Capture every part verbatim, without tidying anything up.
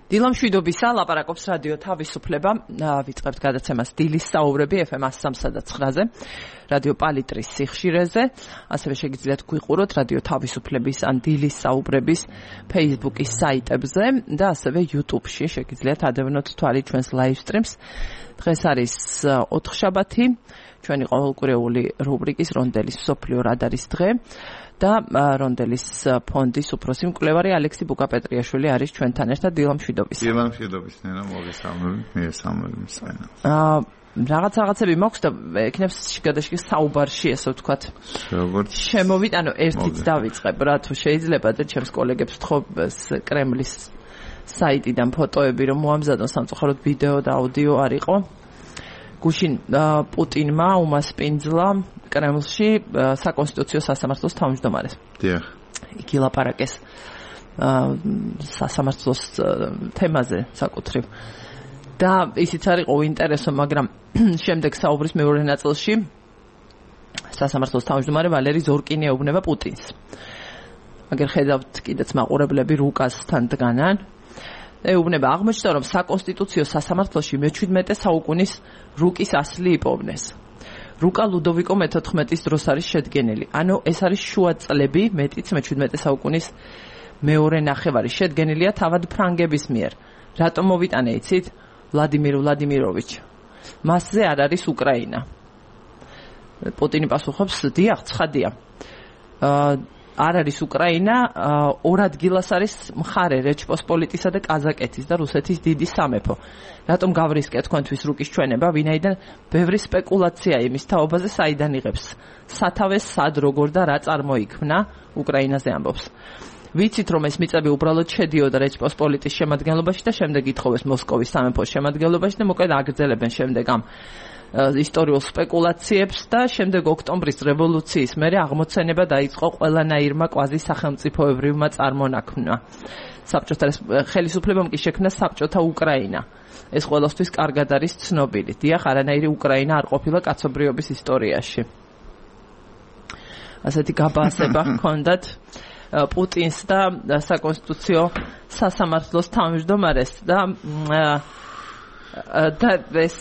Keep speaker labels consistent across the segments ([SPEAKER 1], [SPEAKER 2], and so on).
[SPEAKER 1] დილა მშვიდობისა, ლაპარაკობს რადიო თავისუფლება, ვიწყებთ გადაცემას დილის საუბრები ეფ ემ one oh three point nine-ზე, რადიო პალიტრის სიხშირეზე, ასევე შეგიძლიათ გვიყუროთ რადიო თავისუფლების ან დილის საუბრების Facebook-ის საიტებზე და ასევე YouTube-ში შეგიძლიათ ადევნოთ თვალი ჩვენს live streams. დღეს არის ოთხშაბათი, ჩვენი ყოველკვირეული რუბრიკის რონდელის მსოფლიო რადარის დღე. და რონდელის ფონდის უფროსი მკვლევარი ალექსი ბუკაპეტრიაშვილი არის ჩვენთან ერთად. დილა მშვიდობის.
[SPEAKER 2] დილა მშვიდობის, ნენა, მოგესალმებით, მიესალმებით მსმენელს.
[SPEAKER 1] აა რაღაც რაღაცები მაქვს და ეკნებს შიგადაშიგ საუბარში, ესე ვთქვათ.
[SPEAKER 2] როგორც
[SPEAKER 1] შემოვიტანო ერთიც დავიწყებ, რა თუ შეიძლება და ჩემს კოლეგებს ვთხოვ კრემლის საიტიდან ფოტოები რომ მოამზადონ სამწუხაროდ ვიდეო და აუდიო არ იყო. გუშინ პუტინმა უმასპინძლა კრემლში საკონსტიტუციო სასამართლოს თავმჯდომარეს.
[SPEAKER 2] დიახ.
[SPEAKER 1] იგი ლაპარაკეს სასამართლოს თემაზე საკუთრივ. და ისიც არ იყო უინტერესო, მაგრამ შემდეგ საუბრის მეორე ნაწილში სასამართლოს თავმჯდომარე ვალერი ზორკინი ეუბნება პუტინს. მაგრამ ხედავთ კიდეც მაყურებლები რუკასთან დგანან. ეუბნება, აღმოჩნდა რომ საკონსტიტუციო სასამართლოში მეჩვიდმეტე საუკუნის რუკის ასლი იპოვნეს. რუკა ლუდოვიკო მეთოთხმეტის დროს არის შედგენილი. ანუ ეს არის შუა წლები, მეტიც მეჩვიდმეტე საუკუნის მეორე ნახევარი. შედგენილია თავად ფრანგების მიერ. რატომ მოვიტანე იცით? ვლადიმირ ვლადიმიროვიჩ. მასზე არ არის უკრაინა. პუტინი პასუხობს, დიახ, ცხადია. აა არ არის უკრაინა, ორ ადგილას არის მხარე რეჩპოსპოლიტისა და კაზაკეთის და რუსეთის დიდი სამეფო. რატომ გავრისკეთ თქვენთვის რუკის ჩვენება, ვინაიდან ბევრი სპეკულაცია იმის თაობაზე საიდან იღებს. სათავეს სად როგორ და რა წარმოიქმნა, უკრაინაზე ამბობს. ვიცით რომ ეს მიწები უბრალოდ შედიოდა რეჩპოსპოლიტის შემადგენლობაში და შემდეგ ითხოვეს მოსკოვის სამეფოს შემადგენლობაში და მოკლედ აგრძელებენ შემდეგ ამ ისტორიულ სპეკულაციებს და შემდეგ ოქტომბრის რევოლუციის მერე აღმოცენება დაიწყო ყველანაირმა კვაზი სახელმწიფოებრივმა წარმონაქმნმა. საბჭოთა ხელისუფლებამ კი შექმნა საბჭოთა უკრაინა. ეს ყველასთვის კარგად არის ცნობილი. დიახ, არანაირი უკრაინა არ ყოფილა კაცობრიობის ისტორიაში. ასეთი გაბასება ჰქონდათ პუტინს და საკონსტიტუციო სასამართლოს თავმჯდომარეს და და ეს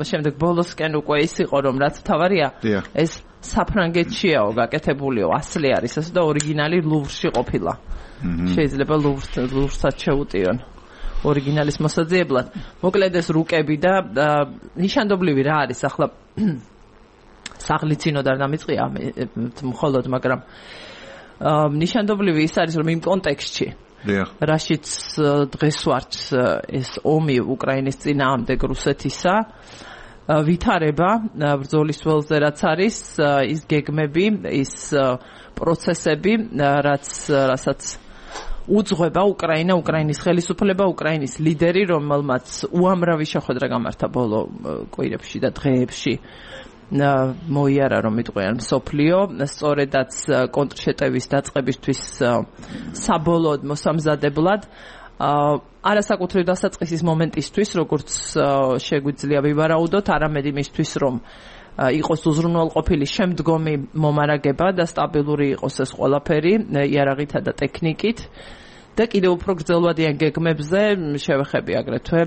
[SPEAKER 1] შემდეგ ბოლოსკენ უკვე ის იყო რომ რაც თავარია ეს საფრანგეთშიაო გაკეთებულიო ასლი არის ასე და ორიგინალი ლუვრში ყოფილა. შეიძლება ლუვრსაც შეუტიონ ორიგინალის მოსაძიებლად. მოკლედ ეს რუკები და ნიშანდობლივი რა არის ახლა საღლიცინოდ არ დამიწყია მხოლოდ, მაგრამ ნიშანდობლივი ის არის რომ იმ კონტექსტში რაშიც დღეს ვართ ეს ომი უკრაინის წინააღმდეგ რუსეთისა ვითარება ბრძოლის ველზე რაც არის ის გეგმები ის პროცესები რაც რასაც უძღვება უკრაინა უკრაინის ხელისუფლება უკრაინის ლიდერი რომელმაც უამრავი შეხვედრა გამართა ბოლო კვირებში და დღეებში მოიარა რომ იტყვიან მსოფლიო სწორედაც კონტრშეტევის დაწყებისთვის საბოლოოდ მოსამზადებლად არასაკუთრივ დასაწყისის მომენტისთვის როგორც შეგვიძლია ვივარაუდოთ არამედ იმისთვის რომ იყოს უზრუნველყოფილი შემდგომი მომარაგება და სტაბილური იყოს ეს ყველაფერი იარაღითა და ტექნიკით და კიდევ უფრო გრძელვადიან გეგმებზე შევეხები აგრეთვე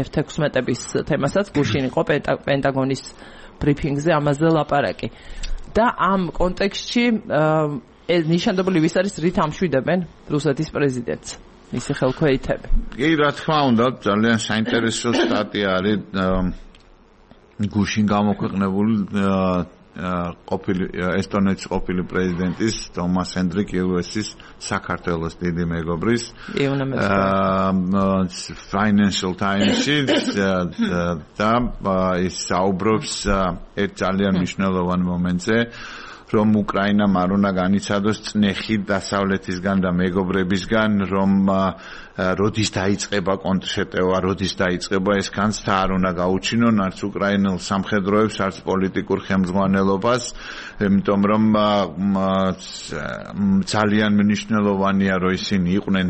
[SPEAKER 1] ეფ ექვსმეტების თემასაც გუშინ იყო პენტაგონის ბრიფინგზე ამაზე ლაპარაკი. და ამ კონტექსტში ნიშანდობლივი ის არის რით ამშვიდებენ რუსეთის პრეზიდენტს მისი ხელქვეითები.
[SPEAKER 2] კი, რა თქმა უნდა, ძალიან საინტერესო სტატია არის გუშინ გამოქვეყნებული ყოფილი ესტონეთის ყოფილი პრეზიდენტის თომას ჰენდრიკ იუესის საქართველოს დიდი მეგობრის Financial Times-ში და ის საუბრობს ერთ ძალიან მნიშვნელოვან მომენტზე რომ უკრაინამ არ უნდა განიცადოს წნეხი დასავლეთისგან და მეგობრებისგან რომ როდის დაიწყება კონტრშეტევა, როდის დაიწყება ეს განცდა არ უნდა გაუჩინონ არც უკრაინულ სამხედროებს, არც პოლიტიკურ ხელმძღვანელობას, იმიტომ რომ ძალიან მნიშვნელოვანია რომ ისინი იყვნენ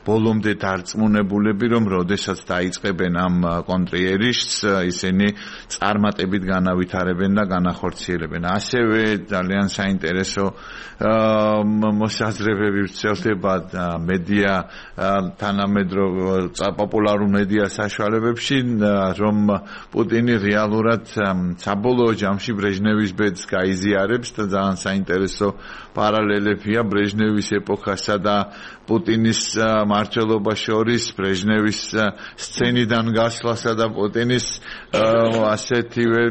[SPEAKER 2] ბოლომდე დარწმუნებულები რომ როდესაც დაიწყებენ ამ კონტრიერიშს ისინი წარმატებით განავითარებენ და განახორციელებენ. ასევე ძალიან საინტერესო მოსაზრებები ვრცელდება მედია თანამედროვე პოპულარულ მედია საშუალებებში რომ პუტინი რეალურად საბოლოო ჯამში ბრეჟნევის ბედს გაიზიარებს და ძალიან საინტერესო პარალელებია ბრეჟნევის ეპოქასა და პუტინის მმართველობა შორის ბრეჟნევის სცენიდან გასვლასა და პუტინის ასეთივე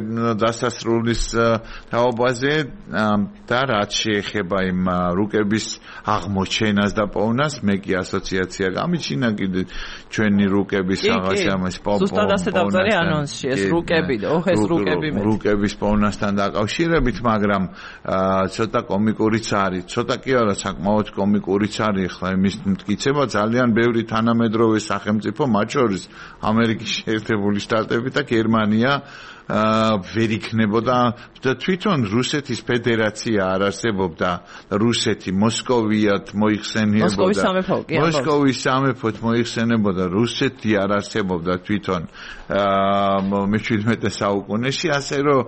[SPEAKER 2] დასასრულის თაობაზე და რაც შეეხება იმ რუკების აღმოჩენას და პოვნას მე კი ასოციაცია გამიჩინა კიდე ჩვენი რუკების რაღაცა ამას პოვნას
[SPEAKER 1] ზუსტად ასე დავწერე ანონსში ეს რუკები და ოხ ეს რუკები მე
[SPEAKER 2] რუკების პოვნასთან დაკავშირებით მაგრამ ცოტა კომიკურიც არის ცოტა კი არა საკმაოდ კომიკურიც არის ხლა იმის მტკიცება ძალიან ბევრი თანამედროვე სახელმწიფო მათ შორის ამერიკის შეერთებული შტატები და გერმანია ვერ იქნებოდა და თვითონ რუსეთის ფედერაცია არ არსებობდა რუსეთი მოსკოვიად მოიხსენიებოდა მოსკოვის სამეფოდ მოიხსენებოდა რუსეთი არ არსებობდა თვითონ მეჩვიდმეტე საუკუნეში ასე რომ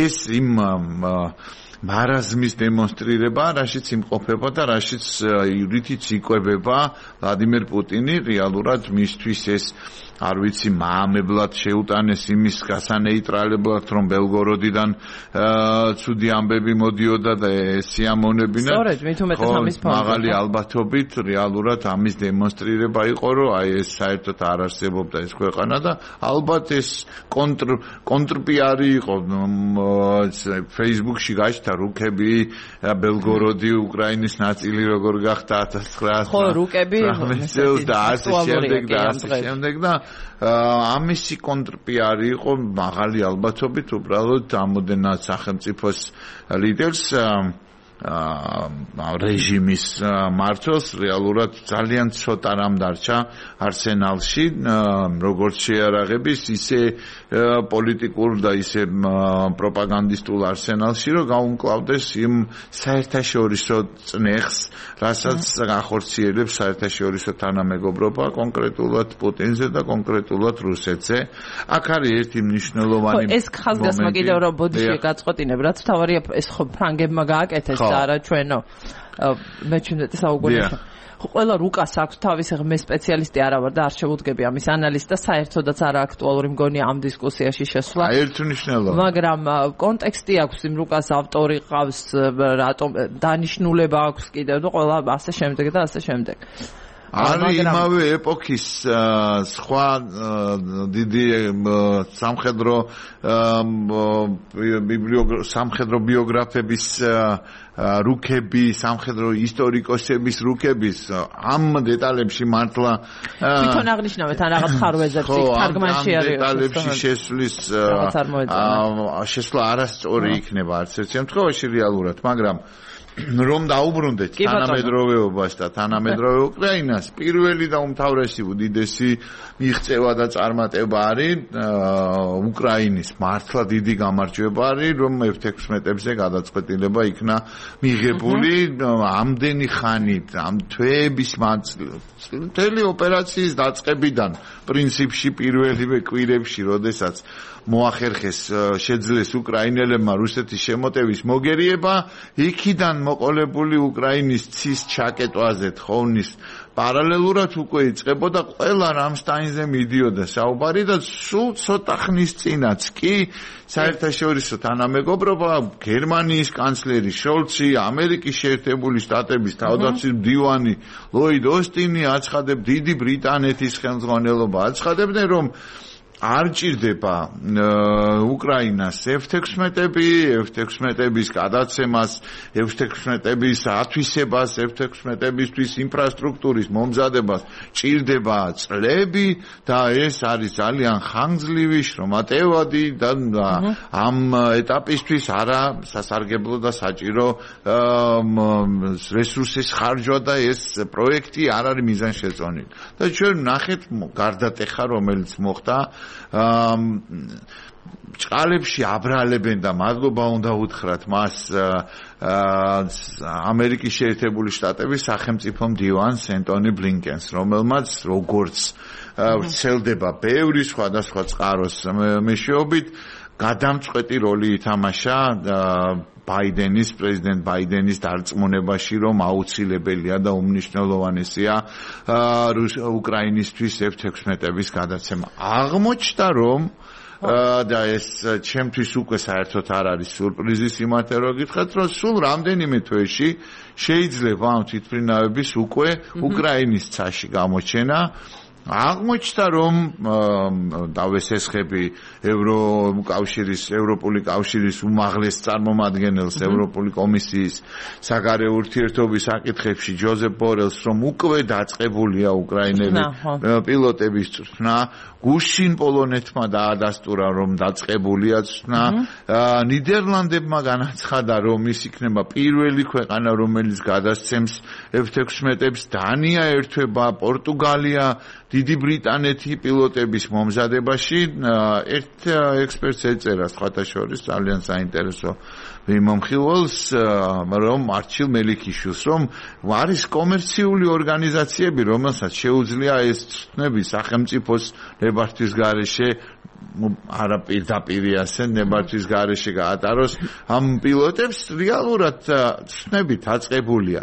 [SPEAKER 2] ეს იმ მარაზმის დემონსტრირება, რაშიც იმყოფება და რაშიც რითიც იკვებება ვლადიმერ პუტინი რეალურად მისთვის ეს არ ვიცი მაამებლად შეუტანეს იმის გასანეიტრალებლად რომ ბელგოროდიდან ცუდი ამბები მოდიოდა და სიამონებინა
[SPEAKER 1] სწორედ მით უმეტეს ამის ფონზე
[SPEAKER 2] მაღალი ალბათობით რეალურად ამის დემონსტრირება იყო რომ აი ეს საერთოდ არ არსებობდა ეს ქვეყანა და ალბათ ეს კონტრ კონტრპიარი იყო Facebook-ში გაჩნდა რუკები ბელგოროდი უკრაინის ნაწილი როგორ გახდა ათას ცხრაასი
[SPEAKER 1] ხო რუკები
[SPEAKER 2] და ასე შემდეგ და ასე შემდეგ და ამისი კონტრპიარი იყო მაღალი ალბათობით უბრალოდ ამოდენად სახელმწიფოს ლიდერს რეჟიმის მმართველს რეალურად ძალიან ცოტა რამ დარჩა არსენალში როგორც შეარაღების ისე პოლიტიკურ და ისე პროპაგანდისტულ არსენალში რომ გაუმკლავდეს იმ საერთაშორისო წნეხს რასაც ახორციელებს საერთაშორისო თანამეგობრობა კონკრეტულად პუტინზე და კონკრეტულად რუსეთზე აქ არის ერთი მნიშვნელოვანი
[SPEAKER 1] მომენტი ეს ხაზგასმა კიდევ რომ ბოდიში გაწყვეტინებ რაც თავარია ეს ხო ფრანგებმა გააკეთეს და არა ჩვენო მეჩვიდმეტე საუკუნეში ყველა რუკას აქვს თავისი მე სპეციალისტი არა ვარ და არ შევუდგები ამის ანალიზს და საერთოდაც არა აქტუალური მგონია ამ დისკუსიაში შესვლა
[SPEAKER 2] ერთნიშნულობა
[SPEAKER 1] მაგრამ კონტექსტი აქვს იმ რუკას ავტორი ყავს რატომ დანიშნულება აქვს კიდევ და ყველა ასე შემდეგ და ასე შემდეგ
[SPEAKER 2] არის იმავე ეპოქის სხვა დიდი სამხედრო სამხედრო ბიოგრაფების რუკები, სამხედრო ისტორიკოსების რუკების ამ დეტალებში მართლა
[SPEAKER 1] თვითონ აღნიშნავთ ან რაღაც ხარვეზებს იქ თარგმანში არის
[SPEAKER 2] ამ დეტალებში შესვლის შესვლა არასწორი იქნება არც ერთ შემთხვევაში რეალურად, მაგრამ რომ დაუბრუნდეთ თანამედროვეობას და თანამედროვე უკრაინას პირველი და უმთავრესი უდიდესი მიღწევა და წარმატება არის უკრაინის მართლა დიდი გამარჯვება არის რომ ეფ ექვსმეტებზე გადაწყვეტილება იქნა მიღებული ამდენი ხანით ამ თვეების მთელი ოპერაციის დაწყებიდან პრინციპში პირველივე კვირებში როდესაც მოახერხეს შეძლეს უკრაინელებმა რუსეთის შემოტევის მოგერიება იქიდან მოყოლებული უკრაინის ცის ჩაკეტვაზე თხოვნის პარალელურად უკვე იწყებოდა ყველა რამსტაინზე მიდიოდა საუბარი და სულ ცოტა ხნის წინაც კი საერთაშორისო თანამეგობრობა გერმანიის კანცლერი შოლცი ამერიკის შეერთებული შტატების თავდაცვის მდივანი ლოიდ ოსტინი აცხადებ დიდი ბრიტანეთის ხელმძღვანელობა აცხადებდნენ რომ არ ჭირდება უკრაინას ეფ ექვსმეტები, ეფ ექვსმეტების გადაცემას, ეფ ექვსმეტების ათვისებას, ეფ ექვსმეტებისთვის ინფრასტრუქტურის მომზადებას, ჭირდება წლები და ეს არის ძალიან ხანგრძლივი შრომატევადი და ამ ეტაპისთვის არა სასარგებლო და საჭირო რესურსის ხარჯვა და ეს პროექტი არ არის მიზანშეწონილი. და ჩვენ ნახეთ გარდატეხა რომელიც მოხდა ჭყალებში აბრალებენ და მადლობა უნდა უთხრათ მას ამერიკის შეერთებული შტატების სახელმწიფო მდივანს ენტონი ბლინკენს რომელმაც როგორც ვრცელდება ბევრი სხვადასხვა წყაროს მეშვეობით გადამწყვეტი როლი ითამაშა ბაიდენის პრეზიდენტ ბაიდენის დარწმუნებაში რომ აუცილებელია და უმნიშვნელოვანესია უკრაინისთვის ეფ თექვსმეტების გადაცემა. აღმოჩნდა რომ და ეს ჩემთვის უკვე საერთოდ არ არის სურპრიზი სიმართლე რომ გითხრათ რომ სულ რამდენიმე თვეში შეიძლება ამ თვითმფრინავების უკვე უკრაინის ცაში გამოჩენა აღმოჩნდა რომ დავესესხები ევროკავშირის ევროპული კავშირის უმაღლეს წარმომადგენელს ევროპული კომისიის საგარეო ურთიერთობის საკითხებში ჯოზეფ ბორელს რომ უკვე დაწყებულია უკრაინელი პილოტების წვრთნა გუშინ პოლონეთმა დაადასტურა რომ დაწყებულია წვრთნა ნიდერლანდებმა განაცხადა რომ ის იქნება პირველი ქვეყანა რომელიც გადასცემს ეფ თექვსმეტებს დანია ერთვება პორტუგალია დიდი ბრიტანეთი პილოტების მომზადებაში ერთ ექსპერტს ეწერა სხვათა შორის ძალიან საინტერესო მიმომხილველს რომ არჩილ მელიქიშვილს რომ არის კომერციული ორგანიზაციები რომელსაც შეუძლია ეს წვრთნები სახელმწიფოს ნებართვის გარეშე არა პირდაპირ ასე ნებართვის გარეშე გაატაროს ამ პილოტებს რეალურად წვრთნებით აწყებულია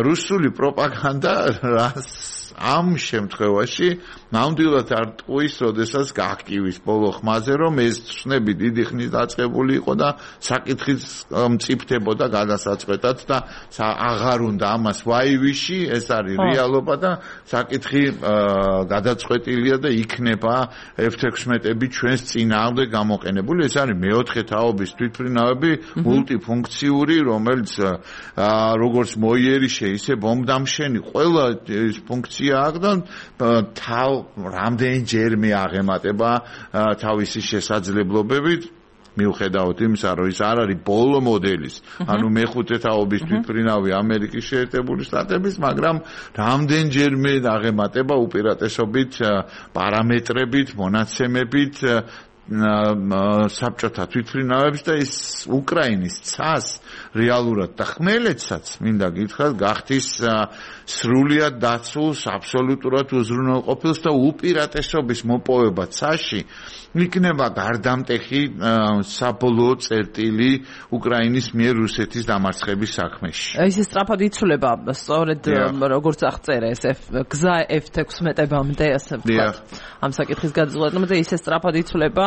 [SPEAKER 2] რუსული პროპაგანდა რას ამ შემთხვევაში ნამდვილად არ ტყუის, როდესაც გააკივის ბოლო ხმაზე, რომ ეს წვრთნები დიდი ხნის დაწყებული იყო და საკითხიც მწიფდებოდა გადასაწყვეტად და აღარ უნდა ამას ვაივიში, ეს არის რეალობა და საკითხი გადაწყვეტილია და იქნება ეფ თექვსმეტები ჩვენს წინააღმდეგ გამოყენებული. ეს არის მეოთხე თაობის თვითმფრინავები, მულტიფუნქციური, რომელიც როგორც მოიერიშე, ისე ბომბდამშენი, ყველა ეს ფუნქცია აქვს და თავ რამდენჯერმე აღემატება თავისი შესაძლებლობებით მიუხედავად იმისა, რომ ის არ არის ბოლო მოდელის, ანუ მეხუთე თაობის თვითმფრინავი ამერიკის შეერთებული შტატების, მაგრამ რამდენჯერმე აღემატება უპირატესობით პარამეტრებით, მონაცემებით საბჭოთა თვითმფრინავებს და ის უკრაინის ცას რეალურად და ხმელეთსაც მინდა გითხრათ გახდის სრულიად დაცულს, აბსოლუტურად უზრუნველყოფილს და უპირატესობის მოპოვება ცაში იქნება გარდამტეხი საბოლოო წერტილი უკრაინის მიერ რუსეთის დამარცხების საქმეში.
[SPEAKER 1] ის სწრაფად იცვლება, სწორედ როგორც აღწერა ეს გზა ეფ თექვსმეტებამდე ასე ვთქვათ. ამ საკითხის გადაწყვეტამდე ისე სწრაფად იცვლება,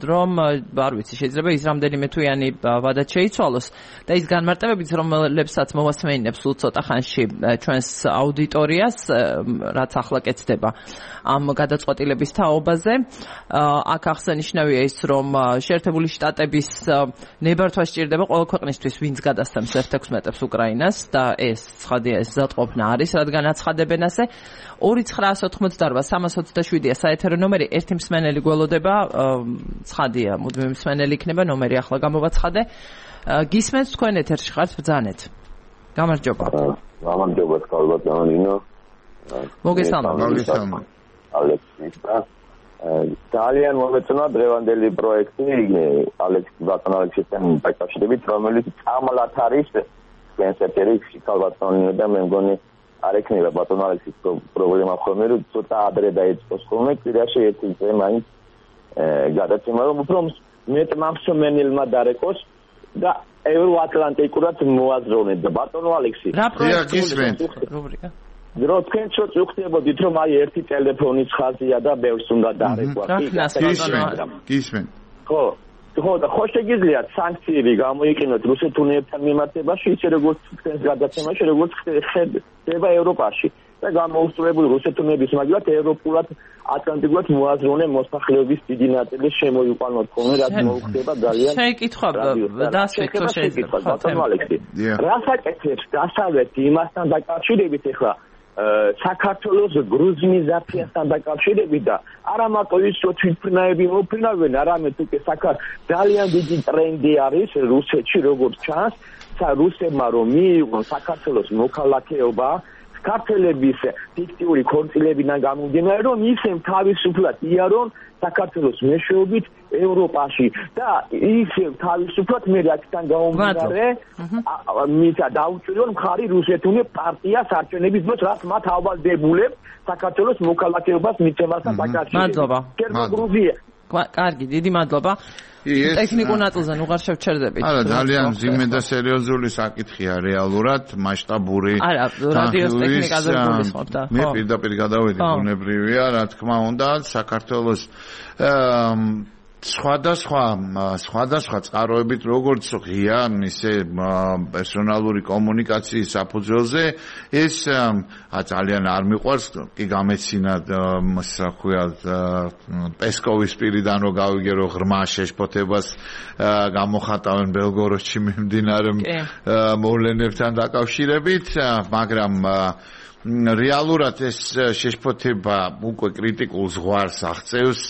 [SPEAKER 1] რომ არ ვიცი, შეიძლება ის რამდენიმე თვიანი ვადაც შეიცვალოს და ის განმარტებებით, რომლებსაც მოვასმენინებს სულ ცოტა ხანში ჩვენს აუდიტორიას, რაც ახლა კეთდება ამ გადაწყვეტილების თაობაზე. აქ აღსანიშნავია ის, რომ შეერთებული შტატების ნებართვა სჭირდება ყველა ქვეყნისთვის, ვინც გადასცემს ეფ თექვსმეტებს უკრაინას და ეს ცხადია, ეს ზადყოფნა არის, რადგან აცხადებენ ასე. ორი ცხრაას ოთხმოცდაორვა სამას ოცდაშვიდია საეთერო ნომერი, ერთი მსმენელი გველოდება, ცხადია, მუდმივი მსმენელი იქნება, ნომერი ახლა გამოვაცხადე. გისმენთ თქვენ ეთერში ხართ, ბრძანეთ. გამარჯობა.
[SPEAKER 3] გამარჯობა, თქვენ ნინო.
[SPEAKER 1] მოგესალმებით.
[SPEAKER 2] მოგესალმებით.
[SPEAKER 3] ალექსის და ძალიან მომეწონა დღევანდელი პროექტი ალექს ბატონ ალექსისთან დაკავშირებით, რომელიც წამლად არის კენსერტერiksi ქალბატონი და მე მგონი არ ექნება ბატონ ალექსის პრობლემა ხოლმე რომ ცოტა ადრე დაიწყოს ხოლმე კვირაში ერთი წე მაინც გადაცემა რომ უფრო მეტმა მსმენელმა დარეკოს და ევროატლანტიკურად მოაზროვნეთ ბატონო ალექსი.
[SPEAKER 1] რა პროექტი რუბრიკა?
[SPEAKER 3] რო თქვენ ცოტ უხდებოდით რომ აი ერთი ტელეფონის ხაზია და ბევრს უნდა დარეკვა.
[SPEAKER 2] გისმენ.
[SPEAKER 3] ხო, ხო და ხო შეგიძლიათ სანქციები გამოიყენოთ რუსეთ-უნიებთან მიმართებაში, ისე როგორც თქვენს გადაცემაში, როგორც ხდება ევროპაში. და გამოუსწრებული რუსეთ-უნიების მაგალითად ევროპულად ატლანტიკურად მოაზროვნე მოსახლეობის დიდი ნაწილი შემოიყვანოთ ხოლმე, რაც მოუხდება ძალიან.
[SPEAKER 1] შეკითხვა დასვით თუ შეიძლება.
[SPEAKER 3] ბატონო ალექსი. რასაკეთებს დასავლეთი იმასთან დაკავშირებით ახლა საქართველოს გრუზინიზაციასთან დაკავშირებით და არა მარტო ის რომ თვითმფრინავები მოფრინავენ, არამედ უკვე საქართველოს ძალიან დიდი ტრენდი არის რუსეთში როგორც ჩანს, რუსებმა რომ მიიღონ საქართველოს მოქალაქეობა ქართველების ფიქტიური ქორწილებიდან გამომდინარე, რომ ისევ თავისუფლად იარონ საქართველოს მეშვეობით ევროპაში და ისევ თავისუფლად მე აქედან გამომდინარე მისა დაუჭირონ მხარი რუსეთ-უნიებს პარტიას არჩევნების დროს, რაც მათ ავალდებულებს საქართველოს მოქალაქეობას მიცემასთან დაკავშირებით.
[SPEAKER 1] მადლობა.
[SPEAKER 3] გერმანია
[SPEAKER 1] კარგი, დიდი მადლობა. ტექნიკურ ნაწილზე ნუღარ შევჩერდებით.
[SPEAKER 2] არა, ძალიან ძიმე და სერიოზული საკითხია რეალურად, მასშტაბური.
[SPEAKER 1] არა, რადიოს ტექნიკაზე გულისხმობ და.
[SPEAKER 2] მე პირდაპირ გადავედი, ბუნებრივია, რა თქმა უნდა, საქართველოს სხვადასხვა სხვადასხვა წყაროებით როგორც ღია ისე პერსონალური კომუნიკაციის საფუძველზე ეს ძალიან არ მიყვარს კი გამეცინა რა ქვია პესკოვის პირიდან რომ გავიგე რომ ღრმა შეშფოთებას გამოხატავენ ბელგოროდში მიმდინარე მოვლენებთან დაკავშირებით მაგრამ რეალურად ეს შეშფოთება უკვე კრიტიკულ ზღვარს აღწევს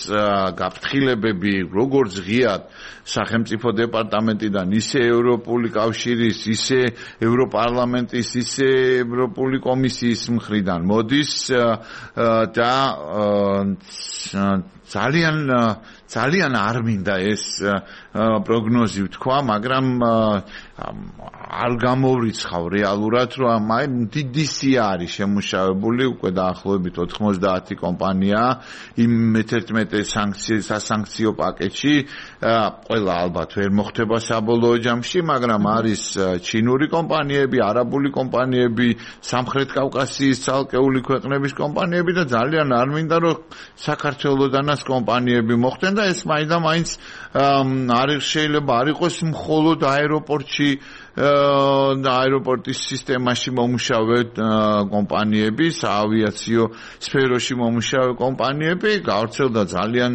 [SPEAKER 2] გაფრთხილებები როგორც ღიად სახელმწიფო დეპარტამენტიდან ისე ევროპული კავშირის ისე ევროპარლამენტის ისე ევროპული კომისიის მხრიდან მოდის და ძალიან ძალიან არ მინდა ეს პროგნოზი ვთქვა, მაგრამ არ გამოვრიცხავ რეალურად, რომ აი დიდი სია არის შემუშავებული უკვე დაახლოებით ოთხმოცდაათი კომპანია იმ მეთერთმეტე სანქციის სასანქციო პაკეტში, ყველა ალბათ ვერ მოხდება საბოლოო ჯამში, მაგრამ არის ჩინური კომპანიები, არაბული კომპანიები, სამხრეთ კავკასიის ცალკეული ქვეყნების კომპანიები და ძალიან არ მინდა რომ საქართველოსდანაც კომპანიები მოხდნენ და ეს მაინდა-მაინც არ შეიძლება არ იყოს მხოლოდ აეროპორტში და აეროპორტის სისტემაში მომუშავე კომპანიები, საავიაციო სფეროში მომუშავე კომპანიები, გავრცელდა ძალიან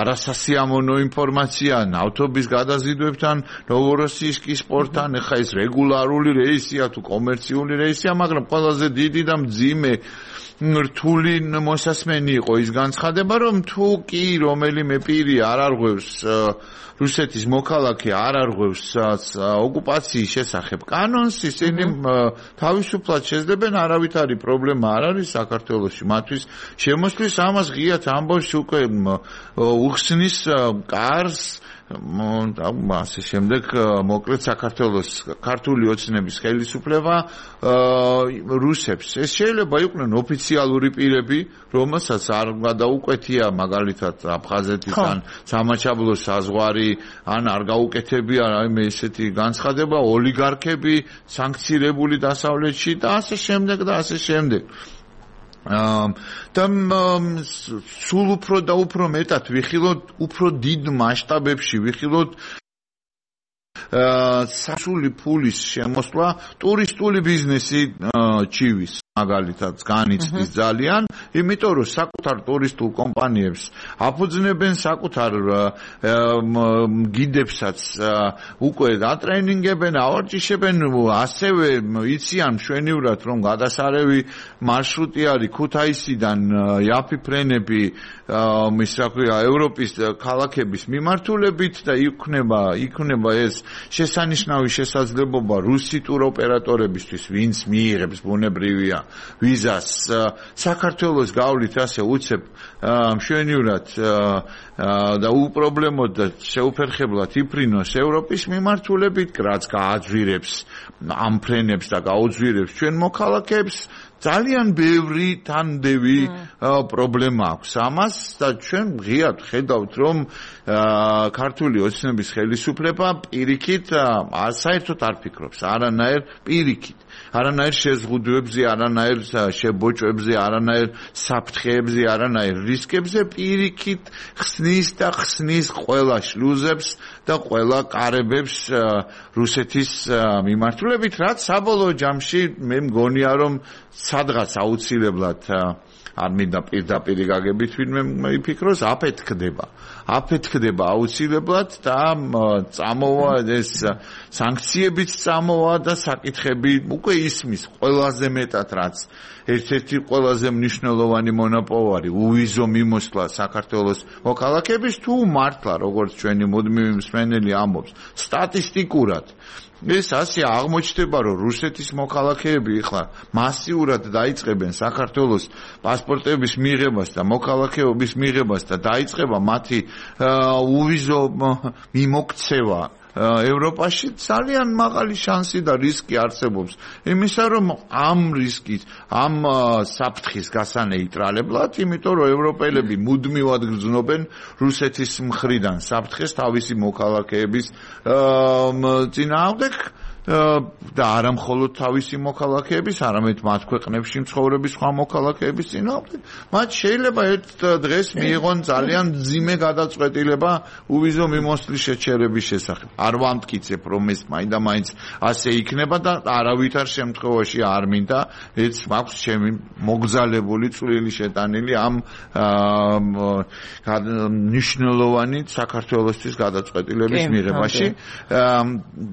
[SPEAKER 2] არასასიამოვნო ინფორმაცია ნავთობის გადაზიდვებთან, ნოვოროსიისკის პორტთან, ეხა ეს რეგულარული რეისია თუ კომერციული რეისია, მაგრამ ყველაზე დიდი და მძიმე რთული მოსასმენი იყო ის განცხადება, რომ თუ კი რომელიმე პირი არ არღვევს რუსეთის მოქალაქე არ არღვევს ოკუპაციის შესახებ კანონს, ისინი თავისუფლად შეძლებენ, არავითარი პრობლემა არ არის საქართველოში მათთვის შემოსვლის, ამას ღიად ამბობს უკვე უხსნის კარს ასე შემდეგ მოკლედ საქართველოს ქართული ოცნების ხელისუფლება რუსებს ეს შეიძლება იყვნენ ოფიციალური პირები რომელსაც არ გადაუკვეთია მაგალითად აფხაზეთიდან სამაჩაბლოს საზღვარი ან არ გაუკეთებია რაიმე ესეთი განცხადება ოლიგარქები სანქცირებული დასავლეთში და ასე შემდეგ და ასე შემდეგ და სულ უფრო და უფრო მეტად ვიხილოთ უფრო დიდ მასშტაბებში ვიხილოთ სასული ფულის შემოსვლა ტურისტული ბიზნესი ჩივის მაგალითად განიცდის ძალიან, იმიტომ რომ საკუთარ ტურისტულ კომპანიებს აფუძნებენ საკუთარ გიდებსაც უკვე დატრენინგებენ, ავარჯიშებენ, ასევე იციან მშვენივრად რომ გადასარევი მარშრუტი არის ქუთაისიდან იაფი ფრენები ის რა ქვია ევროპის ქალაქების მიმართულებით და იქნება იქნება ეს შესანიშნავი შესაძლებლობა რუსი ტუროპერატორებისთვის, ვინც მიიღებს ბუნებრივია ვიზას საქართველოს გავლით ასე უცებ მშვენივრად და უპრობლემოდ და შეუფერხებლად იფრინოს ევროპის მიმართულებით, რაც გააძვირებს ამ ფრენებს და გაუძვირებს ჩვენ მოქალაქეებს ძალიან ბევრი თანდევი პრობლემა აქვს ამას და ჩვენ ღიად ხედავთ რომ ქართული ოცნების ხელისუფლება პირიქით საერთოდ არ ფიქრობს არანაირ პირიქით არანაირ შეზღუდვებზე, არანაირ შებოჭებზე, არანაირ საფრთხეებზე, არანაირ რისკებზე პირიქით ხსნის და ხსნის ყველა შლუზებს და ყველა კარებებს რუსეთის მიმართულებით, რაც საბოლოო ჯამში მე მგონია რომ სადღაც აუცილებლად არ მინდა პირდაპირ გაგებით ვინმე იფიქროს, აფეთქდება. აფეთქდება აუცილებლად და წამოვა ეს სანქციებიც წამოვა და საკითხები უკვე ისმის ყველაზე მეტად რაც ერთ-ერთი ყველაზე მნიშვნელოვანი მონოპოვარი უვიზო მიმოსვლა საქართველოს მოქალაქეების თუ მართლა როგორც ჩვენი მუდმივი მსმენელი ამბობს სტატისტიკურად ეს ასე აღმოჩნდება რომ რუსეთის მოქალაქეები ახლა მასიურად დაიწყებენ საქართველოს პასპორტების მიღებას და მოქალაქეობის მიღებას და დაიწყება მათი უვიზო მიმოქცევა ევროპაში ძალიან მაღალი შანსი და რისკი არსებობს იმისა რომ ამ რისკის ამ საფრთხის გასანა იტრალებლად იმიტომ რომ ევროპელები მუდმივად გრძნობენ რუსეთის მხრიდან საფრთხეს თავისი მოქალაქეების წინააღმდეგ და არა მხოლოდ თავისი მოქალაქეების, არამედ მათ ქვეყნებში მცხოვრების სხვა მოქალაქეების წინააღმდეგ. მათ შეიძლება ერთ დღეს მიიღონ ძალიან მძიმე გადაწყვეტილება უვიზო მიმოსვლის შეჩერების შესახებ. არ ვამტკიცებ, რომ ეს მაინდა-მაინც ასე იქნება და არავითარ შემთხვევაში არ მინდა, ეს მაქვს ჩემი მოგზალებული წვლილი შეტანილი ამ მნიშვნელოვანი საქართველოსთვის გადაწყვეტილების მიღებაში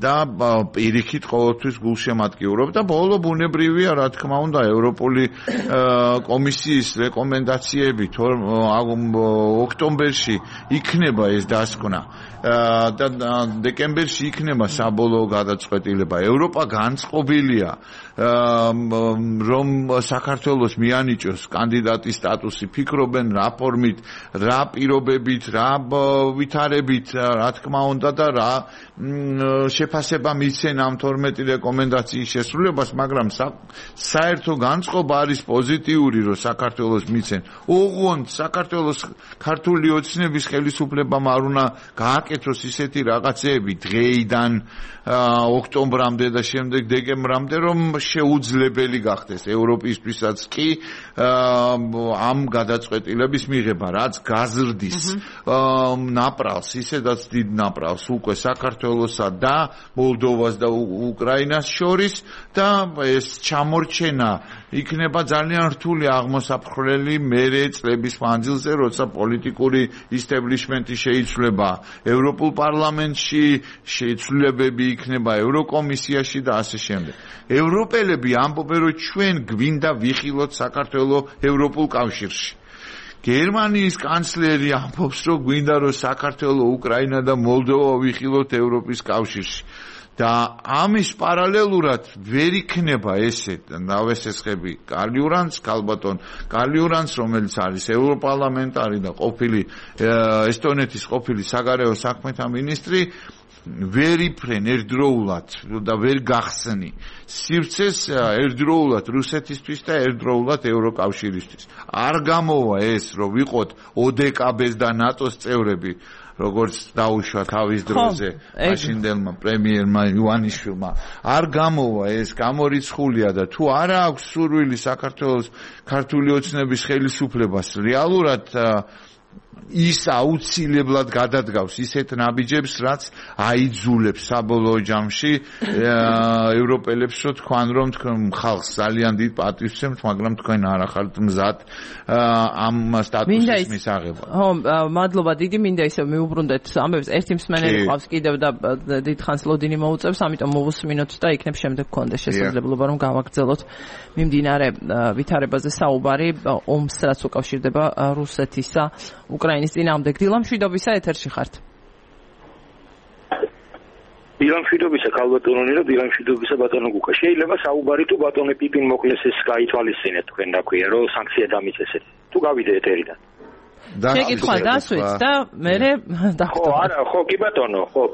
[SPEAKER 2] და პირიქით ყოველთვის გულშემატკივრობ და ბოლო ბუნებრივია რა თქმა უნდა ევროპული კომისიის რეკომენდაციები ოქტომბერში იქნება ეს დასკვნა და დეკემბერში იქნება საბოლოო გადაწყვეტილება. ევროპა განწყობილია რომ საქართველოს მიანიჭოს კანდიდატის სტატუსი, ფიქრობენ რა ფორმით, რა პირობებით, რა ვითარებით, რა თქმა უნდა და რა შეფასება მისცენ ამ თორმეტი რეკომენდაციის შესრულებას, მაგრამ საერთო განწყობა არის პოზიტიური, რომ საქართველოს მისცენ. ოღონდ საქართველოს ქართული ოცნების ხელისუფლებამ არ უნდა გააკეთოს ისეთი რაღაცეები დღეიდან ოქტომბრამდე და შემდეგ დეკემბრამდე, რომ შეუძლებელი გახდეს ევროპისთვისაც კი ამ გადაწყვეტილების მიღება, რაც გაზრდის ნაპრალს, ისედაც დიდ ნაპრალს უკვე საქართველოსა და მოლდოვას და უკრაინას შორის და ეს ჩამორჩენა იქნება ძალიან რთული აღმოსაფხრელი მერე წლების მანძილზე, როცა პოლიტიკური ისტებლიშმენტი შეიცვლება ევროპულ პარლამენტში, შეიცვლებები იქნება ევროკომისიაში და ასე შემდეგ. ევროპელები ამბობენ, რომ ჩვენ გვინდა ვიხილოთ საქართველოს ევროპულ კავშირში. გერმანიის კანცლერი ამბობს, რომ გვინდა რომ საქართველოს, უკრაინა და მოლდოვა ვიხილოთ ევროპის კავშირში. და ამის პარალელურად ვერ იქნება ესე ნავესესხები კალიურანს, ქალბატონ კალიურანს, რომელიც არის ევროპარლამენტარი და ყოფილი ესტონეთის ყოფილი საგარეო საქმეთა მინისტრი, ვერ იფრენ ერთდროულად და ვერ გახსნი სივრცეს ერთდროულად რუსეთისთვის და ერთდროულად ევროკავშირისთვის. არ გამოვა ეს, რომ ვიყოთ ოდეკაბეს და ნატოს წევრები, როგორც დაუშვა თავის დროზე მაშინდელმა პრემიერმა ივანიშვილმა. არ გამოვა ეს, გამორიცხულია და თუ არა აქვს სურვილი საქართველოს ქართული ოცნების ხელისუფლებას რეალურად ის აუცილებლად გადადგავს ისეთ ნაბიჯებს, რაც აიძულებს საბოლოო ჯამში ევროპელებს, რომ თქვენ რომ თქვენ ხალხს ძალიან დიდ პატივსცემთ, მაგრამ თქვენ არ ახართ მზად ამ სტატუსის მისაღებად.
[SPEAKER 1] ხო, მადლობა დიდი, მინდა ისე მიუბრუნდეთ ამბებს. ერთი მსმენელი ყავს კიდევ და დიდხანს ლოდინი მოუწევს, ამიტომ მოვუსმინოთ და იქნებ შემდეგ გქონდეს შესაძლებლობა რომ გავაგრძელოთ მიმდინარე ვითარებაზე საუბარი ომს, რაც უკავშირდება რუსეთისა უკრაინის წინააღმდეგ. დილა მშვიდობისა, ეთერში ხართ.
[SPEAKER 4] დილა მშვიდობისა, ქალბატონონი და დილა მშვიდობისა ბატონო გუკა. შეიძლება საუბარი თუ ბატონე პიპინ მოკლეს ეს გაითვალისწინეთ თქვენ და ქვია რომ სანქცია დამიწესეთ. თუ გავიდე ეთერიდან.
[SPEAKER 1] შეკითხვა დასვით და მე
[SPEAKER 4] ხო, არა, ხო, კი ბატონო, ხო.